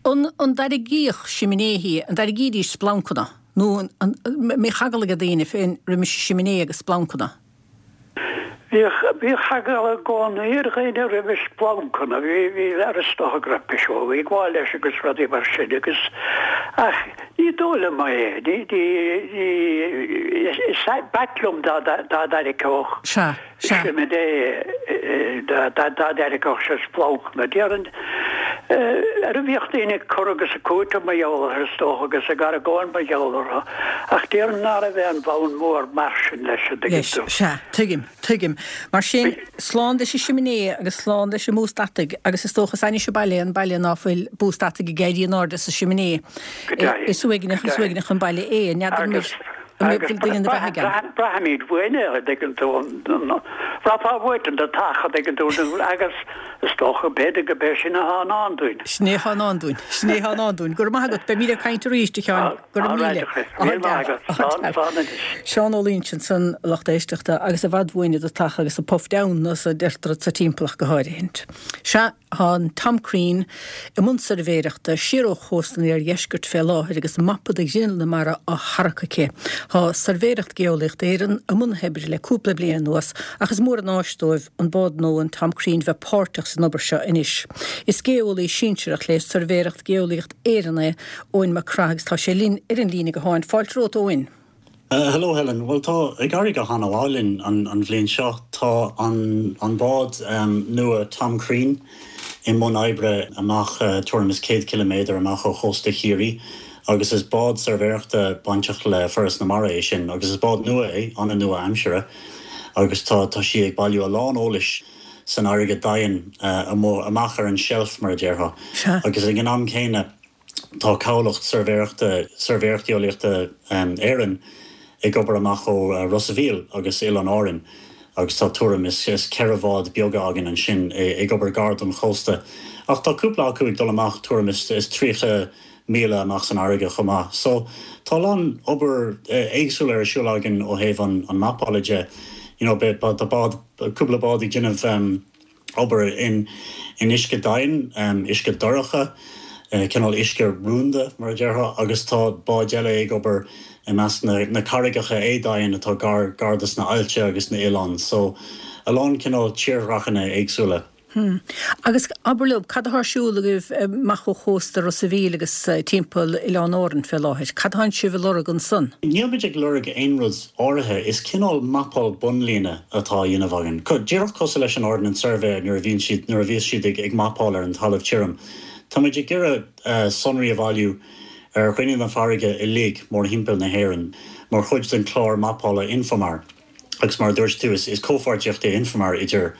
An, an dtairgíodh siminéithí, an dtairgídís splancanna? Nó an, an mbíodh eagla ag daoine féin roimis siminé agus splancanna? Bhíodh, bhíodh eagla i gcónaí ar dhaoine roimh splancanna, bhí, bhí, ar is dócha go raibh piseoga ag gabháil leis agus rudaí mar sin agus, ach ní dóigh liom é, ní, ní, ní, is b'ait liom dá, dá dtairgeodh Sea, sea. siminé, dá, dá, dá dtairgeodh sé splancanna. Déarfainn, ar a bhíodh daoine ag cur agus ag cúiteamh mar gheall orthu is dócha agus ag argóint mar gheall orthu, ach déarfainn ná raibh aon bhonn mór mar sin leis, an dtuigeann Leis, tú. sea, tuigim, tuigim. Mar sin, slán leis an siminé agus slán leis an mbústa ataigh agus is dócha is ainnis an baile é an baile ná fuil bústa ataigh ag éirí in airde sa siminé. Go deimhin, Is uaigneach, go is deimhin. uaigneach an baile é, n'fheadar an Agus, an agus bhfuil duine ina bheatha ann. braithimid uainn é, an dtuigeann tú, bhraithfeá uait an deatach, an dtuigeann tú, agus is dócha, b'fhéidir go b'é sin atá i ndán dúinn. Sin é atá i ndán dúinn. Sin é atá i ndán dúinn. Go raibh maith agat. Beimid ag caint arís, a Sheáin. Go raibh míle. Míle maith agat. Slán, slán anois. Seán Ó Loingsigh ansan, a lucht éisteachta, agus i bhfad uainne deatach agus a puff down nó sa deirtear sa timpeallacht go háirithint. Sea, tá an Tom Crean i mbun suirbhéireachta siar ó chósta an iardheiscirt fé láthair agus mapa de ghrinneall na mara á tharrac aici. Tá Suirbhéireacht Gheolaíochta Éireann i mbun na hoibre le cúpla bliain anuas ach is mór an áis dóibh an bád nua an Tom Crean bheith páirteach san obair seo anois. Is geolaí sinsearach le Suirbhéireacht Gheolaíocht Éireann é Eoin Mac Craith agus tá sé linn ar an líne gutháin. Fáilte romhat, Eoin. Uh, hello Helen. Well tá ag éirí go han-mhaith linn an, an bhliain seo tá an, an bád um, nua Tom Crean i mbun oibre amach uh, tuairim is céad kilometer amach ó chósta Chiarraí agus is bád suirbhéireachta bainteach le Foras na Mara é sin agus is bád nua é an nua-aimseartha agus tá tá sí ag bailiú a lán eolais san fharraige domhain uh, amach ar an shelf mar a déarfá agus ag an am céanna tá cabhlach suirbhéireachta Suirbhéireacht Gheolaíochta um, Éireann ag obair amach ó uh, Ros an Mhíl agus Oileáin Árann agus tá tuairim is is ceithre bhád beaga againn ansin ag obair gar don chósta. Ach tá cúpla acu ag dul amach tuairim is is tríocha míle amach san fharraige chomh maith. So tá an obair éagsúil ar siúl againn ó thaobh an, an mapála de. You know, tá bád cúpla bád ag déanamh um, obair in in uisce domhain, um, uisce dorcha, uh, cineál uisce rúnda mar a déarfá agus tá bád eile ag obair i measc na, na carraigeacha éadomhain atá gar gar dos na haillte agus na hoileáin, so a lán cineál tírdhreachanna éagsúla. Hmm. Agus abair liom, cad atá ar siúl agaibh amach ó chósta Ros an Mhíl agus timpeall Oileáin Árann fé láthair? Cad atánn sibh ag lorg ansan? Níl muid ag lorg aon rud áirithe is cineál mapáil bunlíne atá á dhéanamh againn. Díreach cosúil leis an Ordnance Survey nuair a bhíonn siad nuair a bhíos siad ag, ag mapáil ar an talamh tirim. Tá muid ag iarraidh uh, sonraí a bhailiú ar ghrinneall na farraige uilig mórthimpeall na hÉireann mar chuid den chlár mapála Infomar. Agus mar dúirt tú is, is comhpháirtíocht é Infomar idir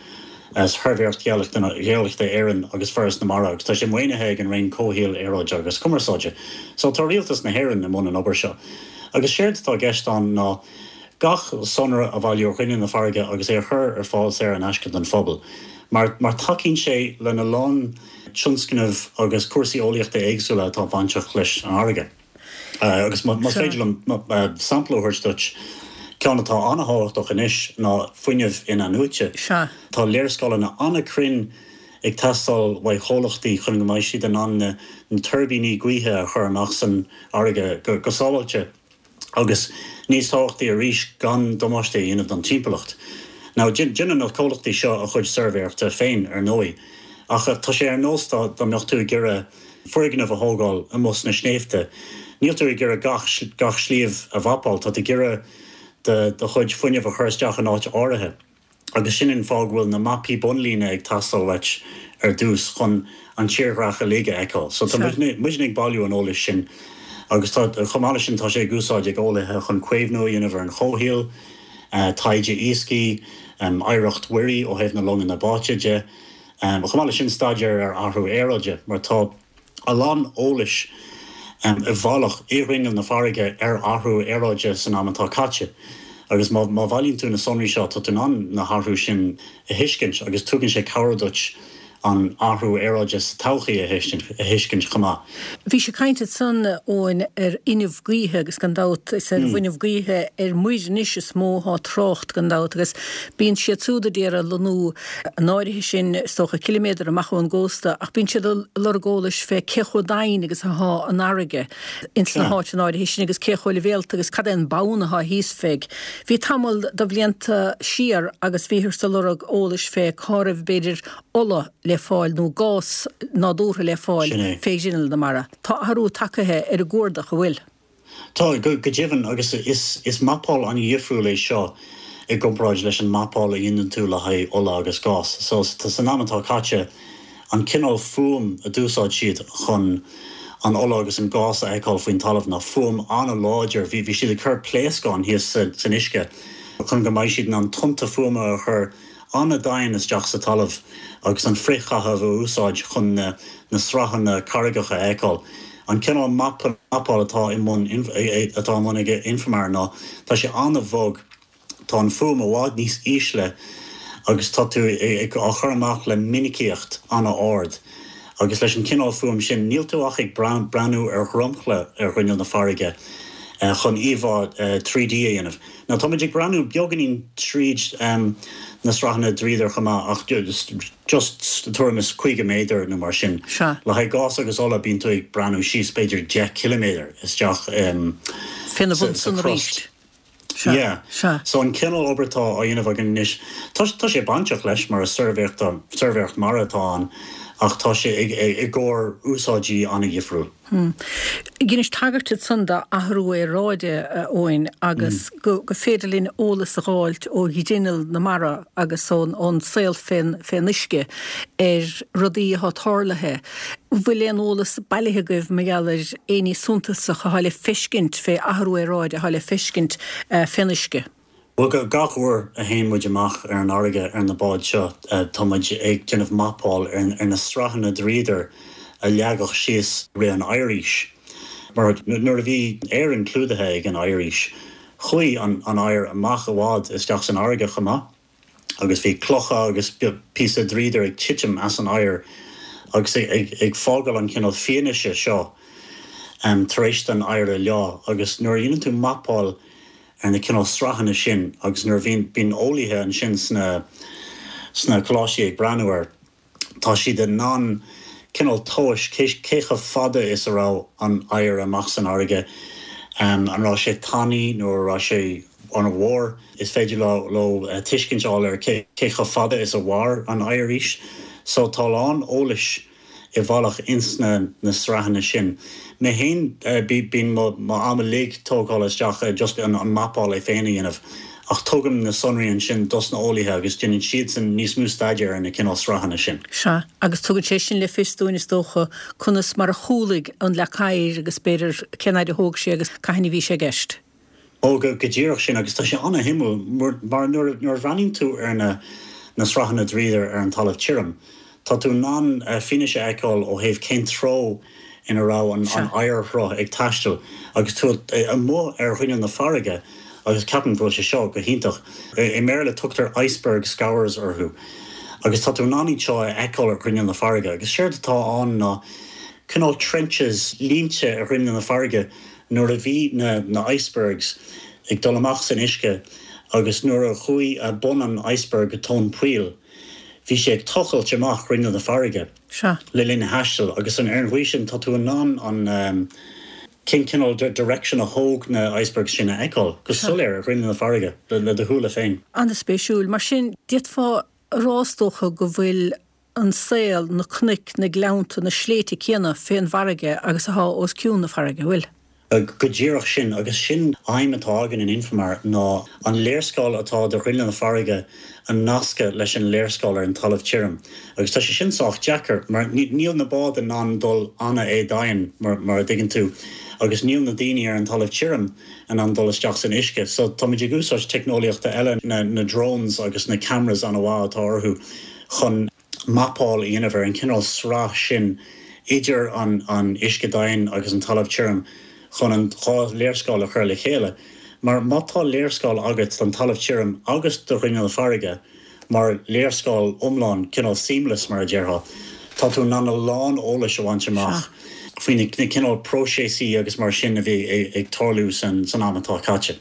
Shuirbhéireacht Gheolaíochta Éireann agus Foras na Mara, agus tá sé maoinithe ag an Roinn Comhshaoil, Aeráide agus Cumarsáide. So tá rialtas na hÉireann i mbun an obair seo. Agus séard atá i gceist ann ná gach sonra a bhailiú ar ghrinneall na farraige agus é a chur ar fáil saor in aisce don phobal. Mar, mar tacaíonn sé lena lán tionscnamh agus cúrsaí eolaíochta éagsúla atá bainteach leis an fharraige. Agus más féidir liom sampla a thabhairt duit, ceann atá an-thábhachtach anois ná fuinneamh in-athnuaite. Tá léarscáileanna an-chruinn ag teastáil uaidh chomhlachtaí chun go mbeidh siad in ann na tuirbíní gaoithe a chur amach san fharraige go sábháilte agus, níos tábhachtaí arís, gan damáiste a dhéanamh don timpeallacht. Now, déanann na comhlachtaí seo a chuid suirbhéireachta féin, ar ndóigh, ach tá sé ar nós dá mbeadh tú ag iarraidh foirgneamh a thógáil amuigh sna sléibhte. Níl tú ag iarraidh gach gach sliabh a mhapáil, tá tú ag iarraidh do do chuid fuinnimh a chur isteach in áit áirithe. Agus sin an fáth go bhfuil na mapaí bonnlíne ag teastáil uait ar dtús chun an tírdhreach uilig a fheiceáil. So tá muidne muidne ag bailiú an eolais sin agus tá chomh maith leis sin tá sé ag úsáid ag eolaithe chun caomhnú a dhéanamh ar an chomhshaol, taighde iascaigh, oidhreacht mhuirí ó thaobh na longanna báite de. Chomh maith leis sin staidéar ar athrú aeráide mar tá a lán eolais i bhfolach i ngrinneall na farraige ar athrú aeráide san am atá caite agus má má bhailíonn tú na sonraí seo tá tú in ann na hathrú sin a thuiscint agus tugann sé cabhair duit an athrú aeráide sa todhchaí a thuiscint chomh maith. Bhís ag caint ansan, Eoin, ar fhuinneamh gaoithe agus gan dabht is ar bhfuinneamh gaoithe ar muir anois is mó atá trácht gan dabht agus bíonn siad súd a d'iarraidh lonnú an áirithe sin is dócha ciliméadar amach ón gcósta ach bíonn siad ag lorg eolais fé cé chomh domhain agus athá an fharraige ins na háiteanna áirithe sin agus cé chomh leibhéalta agus cad é an bonn athá thíos fé. Bhí tamall de bhlianta siar agus bhíothas ag lorg eolais fé cá raibh b'fhéidir ola le fáil nó gás nádúrtha le fáil fé ghrinneall na mara. Tá athrú tagaithe ar an gcuardach, an bhfuil? Tá, go deimhin, agus is mapáil an-dhifriúil é seo i gcomparáid leis an mapáil a dhéanann tú le haghaidh ola agus gás. So, san am atá caite, an cineál fuaim a d'úsáid siad chun an ola agus an gás a fheiceáil faoin talamh ná fuaim an-láidir. Bhí bhí siad ag cur pléascán thíos san uisce chun go mbeidh siad in ann tonnta fuaime a chur an-domhain isteach sa talamh agus an frithchaitheamh a úsáid chun na na sraitheanna carraigeacha a fheiceáil. An cineál mapáil atá i mbun atá i mbun ag Infomar ná tá sé an-bhog, tá an fuaim i bhfad níos ísle agus tá tú á chur amach le minicíocht an-ard agus leis an cineál fuaim sin níl tú ach ag breathnú ar dhromchla ar ghrinneall na farraige chun íomhá trí D a dhéanamh. Now tá muid ag breathnú beagáinín tríd na sraitheanna dríodair chomh maith ach just tuairim is caoga méadar nó mar sin. Le haghaidh gás agus ola bíonn tú ag breathnú síos b'fhéidir deich ciliméadar isteach Féna bhun san arís. Yeah. So an cineál obair atá á dhéanamh againn anois, tá tá sé bainteach leis mar is suirbhéireacht suirbhéireacht mara atá ann ach tá sé i gcomhair úsáidí an-dhifriúil. Dheinis tagairt ansan d'athrú aeráide, a Eoin, agus go féidir linn eolas a dh'fháilt ó ghrinneall na mara agus ón saol fén uisce ar rudaí athá tarlaithe. Bhfuil aon eolas bailithe agaibh mar gheall ar aon ní suntasach athá le feiscint fé athrú aeráide athá le feiscint fén uisce? Bhuel, gach uair a théann muid amach ar an fharraige ar na báid seo, tá muid ag déanamh mapáil ar na sraitheanna dríodair a leagadh síos i rith an oighir. Mar nuair a bhí Éirinn clúdaithe ag an oighearaois, chuaigh an oighear amach i bhfad isteach san fharraige chomh maith agus bhí clocha agus píosa dríodair ag titim as an oighear agus ag fágáil an cineál fianaise seo tar éis don oighear a leá. Agus nuair a dhéanann tú mapáil ar na cineál sraitheanna sin agus nuair a bhíonn bíonn eolaithe ansin sna sna coláistí ag breathnú air, tá siad in ann cineál tomhais cé cé chomh fada is a raibh an oighear amach san fharraige, an raibh sé tanaí nó an raibh sé an-mhór. Is féidir leo leo tuiscint a fháil ar cé cé chomh fada is a mhair an oighearaois. So tá a lán eolais i bhfolach ins na na sraitheanna sin. Mé fhéin bíonn mo mo am uilig tógtha isteach i just an an mapáil é féin a dhéanamh ach tugaim na sonraí ansin dos na eolaithe agus déanann siadsan níos mó staidéir ar na cineál sraitheanna sin. Sea, agus tugann sé sin le fios dúinn is dócha conas mar a chúlaigh an leac oighir agus b'fhéidir cén fhaid a thóg sé agus cathain a bhí sé i gceist. Ó, go díreach sin, agus tá sé an-shuimiúil mar nuair a bhreathnaíonn tú ar na na sraitheanna dríodair ar an talamh tirim, tá tú in ann fianaise a fheiceáil ó thaobh cén treo ina raibh an Sea. oighearshruth ag taisteal agus tú amuigh ar ghrinneall na farraige agus ceapaim go bhfuil sé seo go hiontach. I mBéarla tugtar iceberg scours orthu Agus tá tú in ann iad seo a fheiceáil ar ghrinneall na farraige agus séard atá ann ná cineál trenches línte ar ghrinneall na farraige nuair a bhí na na icebergs ag dul amach san uisce agus nuair a chuaigh bun an iceberg go tóin poill bhí sé ag tochailt amach grinneall na farraige le linn a thaistil agus an ar an gcaoi sin tá tú in ann an cén cineál direction a thóg na icebergs sin a fheiceáil go soiléir ar ghrinneall na farraige le do shúile féin. An-spéisiúil. Mar sin, d'fhéadfá a rá is dócha go bhfuil an saol, na cnoic, na gleannta, na sléibhte céanna fén bhfarraige agus atá os cionn na farraige, bhfuil? Go díreach sin, agus sin aidhm atá againn in Infomar ná an léarscáil atá de ghrinneall na farraige a nascadh leis an léarscáil ar an talamh tirim. Agus tá sé sin sách deacair mar níl na báid in ann dul an-éadomhain mar mar a dtuigeann tú agus níl na daoine ar an talamh tirim in ann dul isteach san uisce. So táimid ag úsáid teicneolaíochta eile, na na drones agus na cameras an-mhaith atá orthu chun mapáil a dhéanamh ar an cineál sraith sin idir an an uisce domhain agus an talamh tirim chun an dhá léarscáil a chur le chéile. Mar má tá léarscáil agat don talamh tirim agus do ghrinneall na farraige mar léarscáil iomlán, cineál seamless mar a déarfá, tá tú in ann a lán eolais a bhaint amach faoi na cineál próiseasaí agus mar sin a bhí ag tarlú san san am atá caite.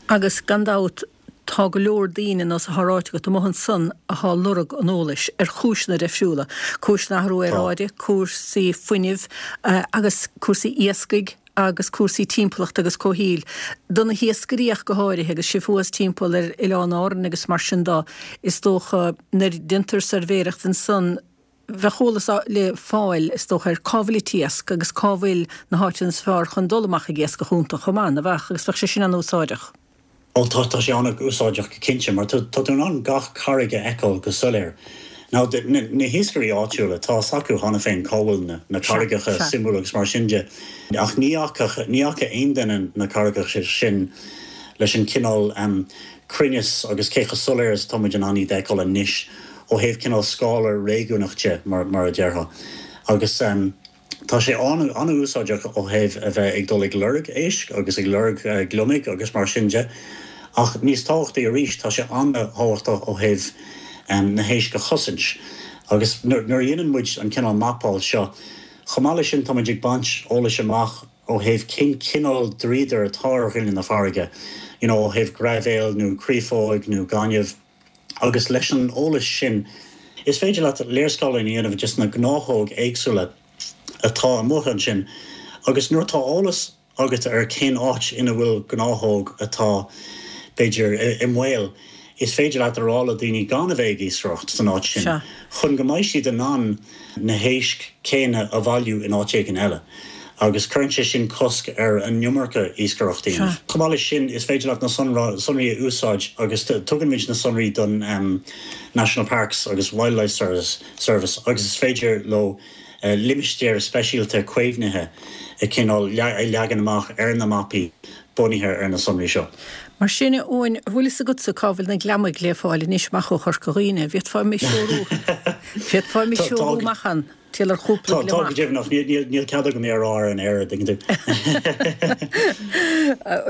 Agus gan dabht tá go leor daoine nós atá ráite agat amuigh ansan athá lorg an eolais ar chúiseanna difriúla, cúiseanna athrú aeráide, cúrsaí fuinnimh agus cúrsaí iascaigh agus cúrsaí timpeallachta agus comhshaoil. Do na hiascairí ach go háirithe agus sibh thuas timpeall ar Oileáin Árann agus mar sin de, is dócha nuair déantar suirbhéireacht ansan bheadh eolas le fáil is dócha ar cá bhfuil an t-iasc agus cá bhfuil na háiteanna is fearr chun dul amach ag iascach iontu chomh maith, nach bheadh, agus bheadh sé sin an-úsáideach. Ó tá, tá sé an-úsáideach go cinnte, mar tá tú in ann gach carraig a fheiceáil go soiléir. Now, na, na hiascairí áitiúla, tá fhios acu cheana féin cá bhfuil na, na carraigeacha suimiúla agus mar sin de, ach ní fhaca, ní fhaca aon duine na carraigeacha sin leis an cineál um, cruinneas agus cé chomh soiléir is atá muid in ann iad a fheiceáil anois ó thaobh cineál scála réigiúnach de, mar, mar a déarfá. Agus um, Tá sé an-úsáideach ó thaobh a bheith ag dul ag lorg éisc agus ag lorg gliomaigh agus mar sin de, ach níos tábhachtaí arís, tá sé an-tábhachtach ó thaobh na héisc a chosaint. Agus nuair a dhéanann muid an cineál mapáil seo, chomh maith leis sin tá muid ag baint eolais amach ó thaobh cén cineál dríodair atá ar ghrinneall na farraige, you know, ó thaobh graibhéil nó créafóig nó gaineamh. Agus leis an eolas sin, is féidir leat léarscáil a dhéanamh de na gnáthóg éagsúla atá amuigh ansin agus nuair atá eolas agat ar cén áit ina bhfuil gnáthóg atá, b'fhéidir, i mbaol, is féidir leat a rá le daoine gan a bheith ag iascaireacht san áit sin chun go mbeidh siad in ann na héisc chéanna a bhailiú in áit éigin eile. Agus cuireann sé sin cosc ar an iomarca iascaireachta a dhéanamh. Chomh maith leis sin, is féidir leat na sonraí a úsáid agus tugann muid na sonraí don National Parks agus Wildlife Service agus is féidir leo limistéir speisialta caomhnaithe a chineál a leagan amach ar na mapaí bunaithe ar na sonraí seo. Mar sin, a Eoin, an bhfuil fhios agatsa cá bhfuil na gliomaigh le fáil anois amach ó Chorca Dhuibhne? Bhféadfá mé threorú Bhféadfá mé threorú amach ann? Triall ar chúpla Tá, tá go deimhin ach níl cead agam é a rá ar an aer, an dtuigeann tú.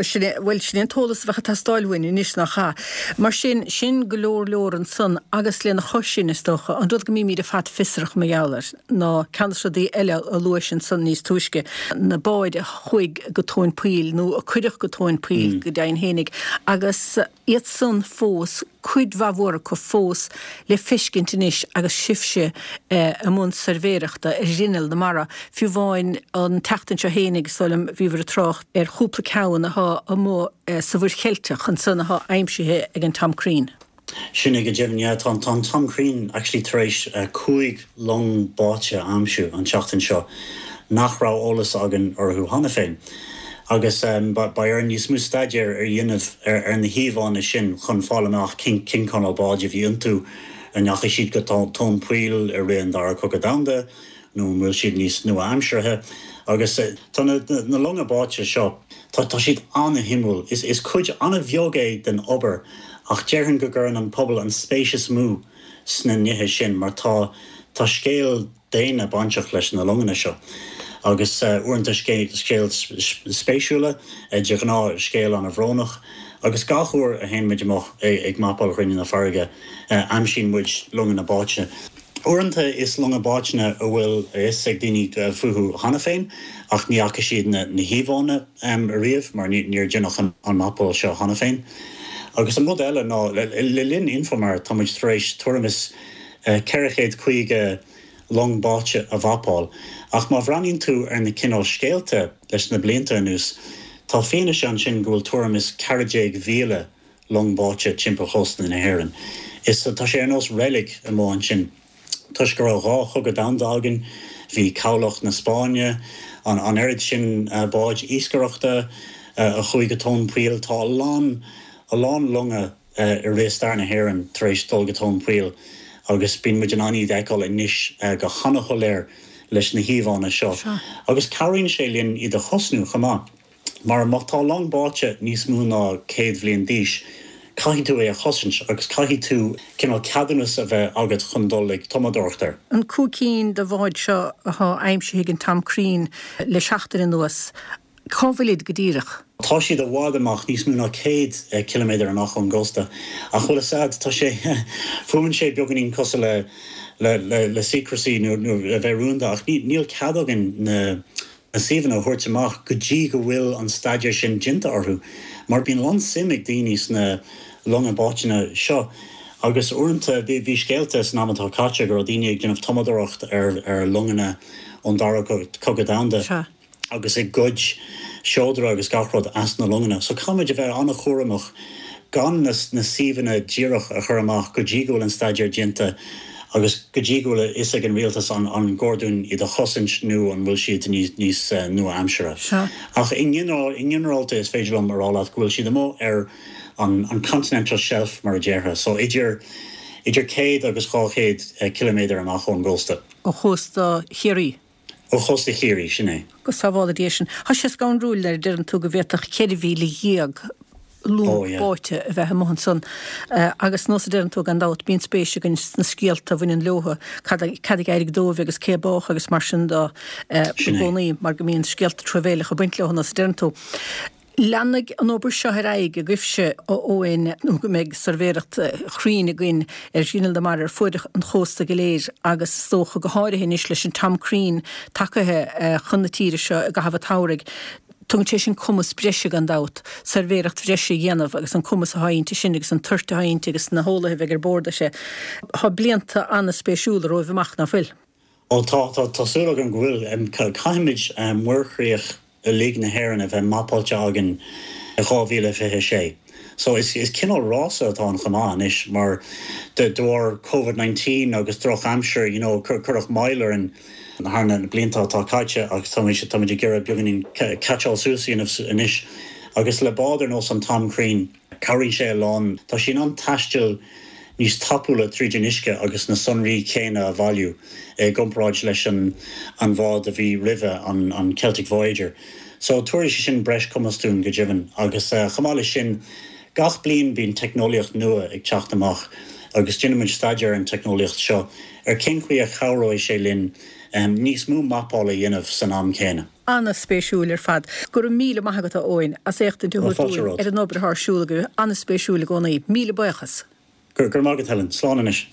Sin é, bhuel, sin é an t-eolas a bheadh ag teastáil uainn anois, nach ea? Mar sin, sin go leor leor ansan agus lena chois sin, is dócha, an rud go mbímid ar fad fiosrach mar gheall air ná ceann de na rudaí eile a luais ansan níos túisce, na báid a chuaigh go tóin poill nó a cuireadh go tóin poill go deimhin fhéinig agus iad san fós, cuid mhaith mhór acu fós le feiscint anois agus sibhse i mbun suirbhéireachta ar ghrinneall na mara. Fiú amháin an tseachtain seo fhéinig, is dóigh liom, bhíobhair ag trácht ar chúpla ceann athá amuigh sa Mhuir Cheilteach ansan athá aimsithe ag an Tom Crean. Sin é go deimhin, yeah. Tá an Tom Crean actually tar éis cúig long báite a aimsiú an tseachtain seo nach raibh eolas againn orthu cheana féin. Agus beidh orainn níos mó staidéir a dhéanamh ar na híomhánna sin chun fáil amach cén cineál báid a bhí iontu, an ndeachaigh siad go tóin poill i rith an Dara Cogadh Domhanda nó an bhfuil siad níos nua-aimseartha. Agus tá na longa báite seo, tá siad an-shuimiúil. Is cuid an-bheag é den obair ach déarfainn go gcuireann an pobal an spéis is mó sna nithe sin mar tá scéal daonna bainteach leis na longanna seo agus uaireanta scéal spéisiúla, de ghnáth scéal an-bhrónach Agus gach uair a théann muid amach ag mapáil ghrinneall na farraige, aimsíonn muid longanna báite. Uaireanta is longa báite a bhfuil a fhios ag daoine fúthu cheana féin ach ní fhaca siad na híomhánna ariamh mar níor deineadh an mapáil seo cheana féin. Agus an rud eile ná le linn Infomar tá muid tar éis tuairim is ceithre chéad caoga long báite a mhapáil. Ach má bhreathnaíonn tú ar na cineál scéalta leis na blianta anuas, tá fianaise ansin go bhfuil tuairim is ceathair déag mhíle long báite timpeall chósta na hÉireann. Is tá sé ar nós reilig amuigh ansin. Toisc go raibh dhá chogadh domhanda againn, bhí cabhlach na Spáinne, an an oiread sin báid iascaireachta a chuaigh go tóin poill, tá a lán, a lán longa i rith stair na hÉireann tar éis dul go tóin poill agus bíonn muid in ann iad a fheiceáil anois go han-shoiléir leis na híomhánna seo. Agus cabhraíonn sé linn iad a chosnú chomh maith. Mar má tá long báite níos mó ná céad bhliain d'aois, caithfidh tú é a chosaint agus caithfidh tú cineál ceadúnas a bheith agat chun dul ag tumadóireacht air. An cúig cinn de bháid seo atá aimsithe ag an Tom Crean le seachtain anuas, cá bhfuilid go díreach? Tá siad i bhfad amach, níos mó ná céad ciliméadar amach ón gcósta. Ach bhfuil a fhios a'd, tá sé, fuaimeann sé beagáinín cosúil le, le, le, le secrecy nó, nó a bheith rúnda ach ní, níl cead againn na, na suíomhanna a thabhairt amach go dtí go bhfuil an staidéar sin déanta orthu mar bíonn a lán suim ag daoine sna longa báiteanna seo agus uaireanta bhí scéalta san am atá caite go raibh daoine ag déanamh tumadóireacht ar ar longanna ón Dara Cogadh Domhanda agus ag goid seodra agus gach rud as na longanna. So caithfimid a bheith an-chúramach gan na suíomhanna díreach a chur amach go dtí go bhfuil an staidéar déanta agus go dtí go bhfuil a fhios ag an rialtas an an gcóir dúinn iad a chosaint nó an bhfuil siad níos nua-aimseartha. Ach i nginearálta is féidir liom a rá leat go bhfuil siad amuigh ar an an continental shelf mar a déarfá, so idir idir céad agus dhá chéad ciliméadar amach ón gcósta. Ó chósta Chiarraí? Ó chósta Chiarraí, sin é. Go sábhála Dia sinn. Tá sé scanrúil nuair a deireann tú go bhféadfadh ceithre mhíle dhéag long báite a bheith amuigh ansan agus nós a deireann tú gan dabht bíonn spéis againn sna scéalta a bhaineann leo, cad cad a d'éirigh dóibh agus cé a bádh agus mar sin de i gcónaí mar go mbíonn scéalta truamhéileacha ag baint leo nós a deireann tú. Leanfaidh an obair seo ar aghaidh agaibhse, a Eoin, nó go mbeidh suirbhéireacht chruinn againn ar ghrinneall na mara ar fuaid an chósta go léir agus is dócha go háirithe anois leis an Tom Crean tagaithe chun na tíre seo i gcaitheamh an tsamhraidh. Tugann sé sin cumas breise gan dabht, suirbhéireacht bhreise a dhéanamh agus an cumas atá inti sin agus an toirt atá inti agus na heolaithe a bheidh ar bord aici. Tá blianta an-spéisiúla romhaibh amach, ná fuil? Ó tá, tá, tá súil agam go bhfuil. Caithfimid muirchríoch uilig na hÉireann a bheith mapáilte againn i dhá mhíle fiche a sé. So is is cineál rása atá ann chomh maith anois mar de de bharr Covid nineteen agus droch aimsir you know cuireadh moill orainn thar na blianta atá caite agus táimid táimid ag iarraidh beagáinín catch-áil suas a dhéanamh anois agus le bád ar nós an Tom Crean cabhraíonn sé a lán. Tá sí in ann taisteal níos tapúla tríd an uisce agus na sonraí céanna a bhailiú i gcomparáid leis an an bhád a bhí roimhe, an an Celtic Voyager. So tabharfaidh sé sin breis cumas dúinn go deimhin. Agus chomh maith leis sin, gach bliain bíonn teicneolaíocht nua ag teacht amach agus déanaimid staidéar ar an teicneolaíocht seo ar cén chaoi a chabhróidh sé linn níos mó mapála a dhéanamh san am céanna. An-spéisiúil ar fad. Go raibh míle maith agat a Eoin as éachtaint a thabhairt dúinn ar an obair atá ar siúl agaibh. An-spéisiúil i gcónaí. Míle buíochas. Go raibh maith agat Helen. Slán anois.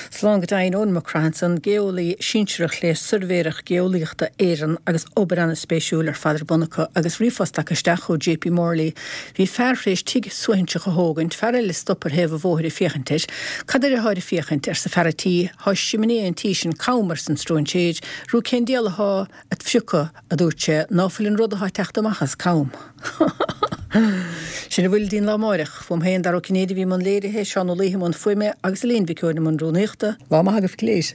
Slán go deimhin. Eoin Mac Craith ansan, geolaí sinsearach le Suirbhéireacht Geolaíochta Éireann agus obair an-spéisiúil ar fad ar bun acu agus ríomhphost tagtha isteach ó JP Morley. Bhí fear thréis tigh suaithinseach a thógaint, fear eile stop ar thaobh an bhóthair ag féachaint air. Cad air atháir ag féachaint? arsa fear a' tí. Thá siminé an tí sin cam, arsa an stróinséir. Rú cén diabhal athá at phriocadh, a dúirt sé, ná fuil an rud athá ag teacht amach as cam. Sin a bhfuil dínn lá amáireach. Uaim féin, Dara Ó Cinnéide a bhí i mbun léirithe, Seán Ó Laoithe i mbun fuaime agus Elaine Mhic Eoin i mbun rúnaíochta. Lá maith agaibh go léir.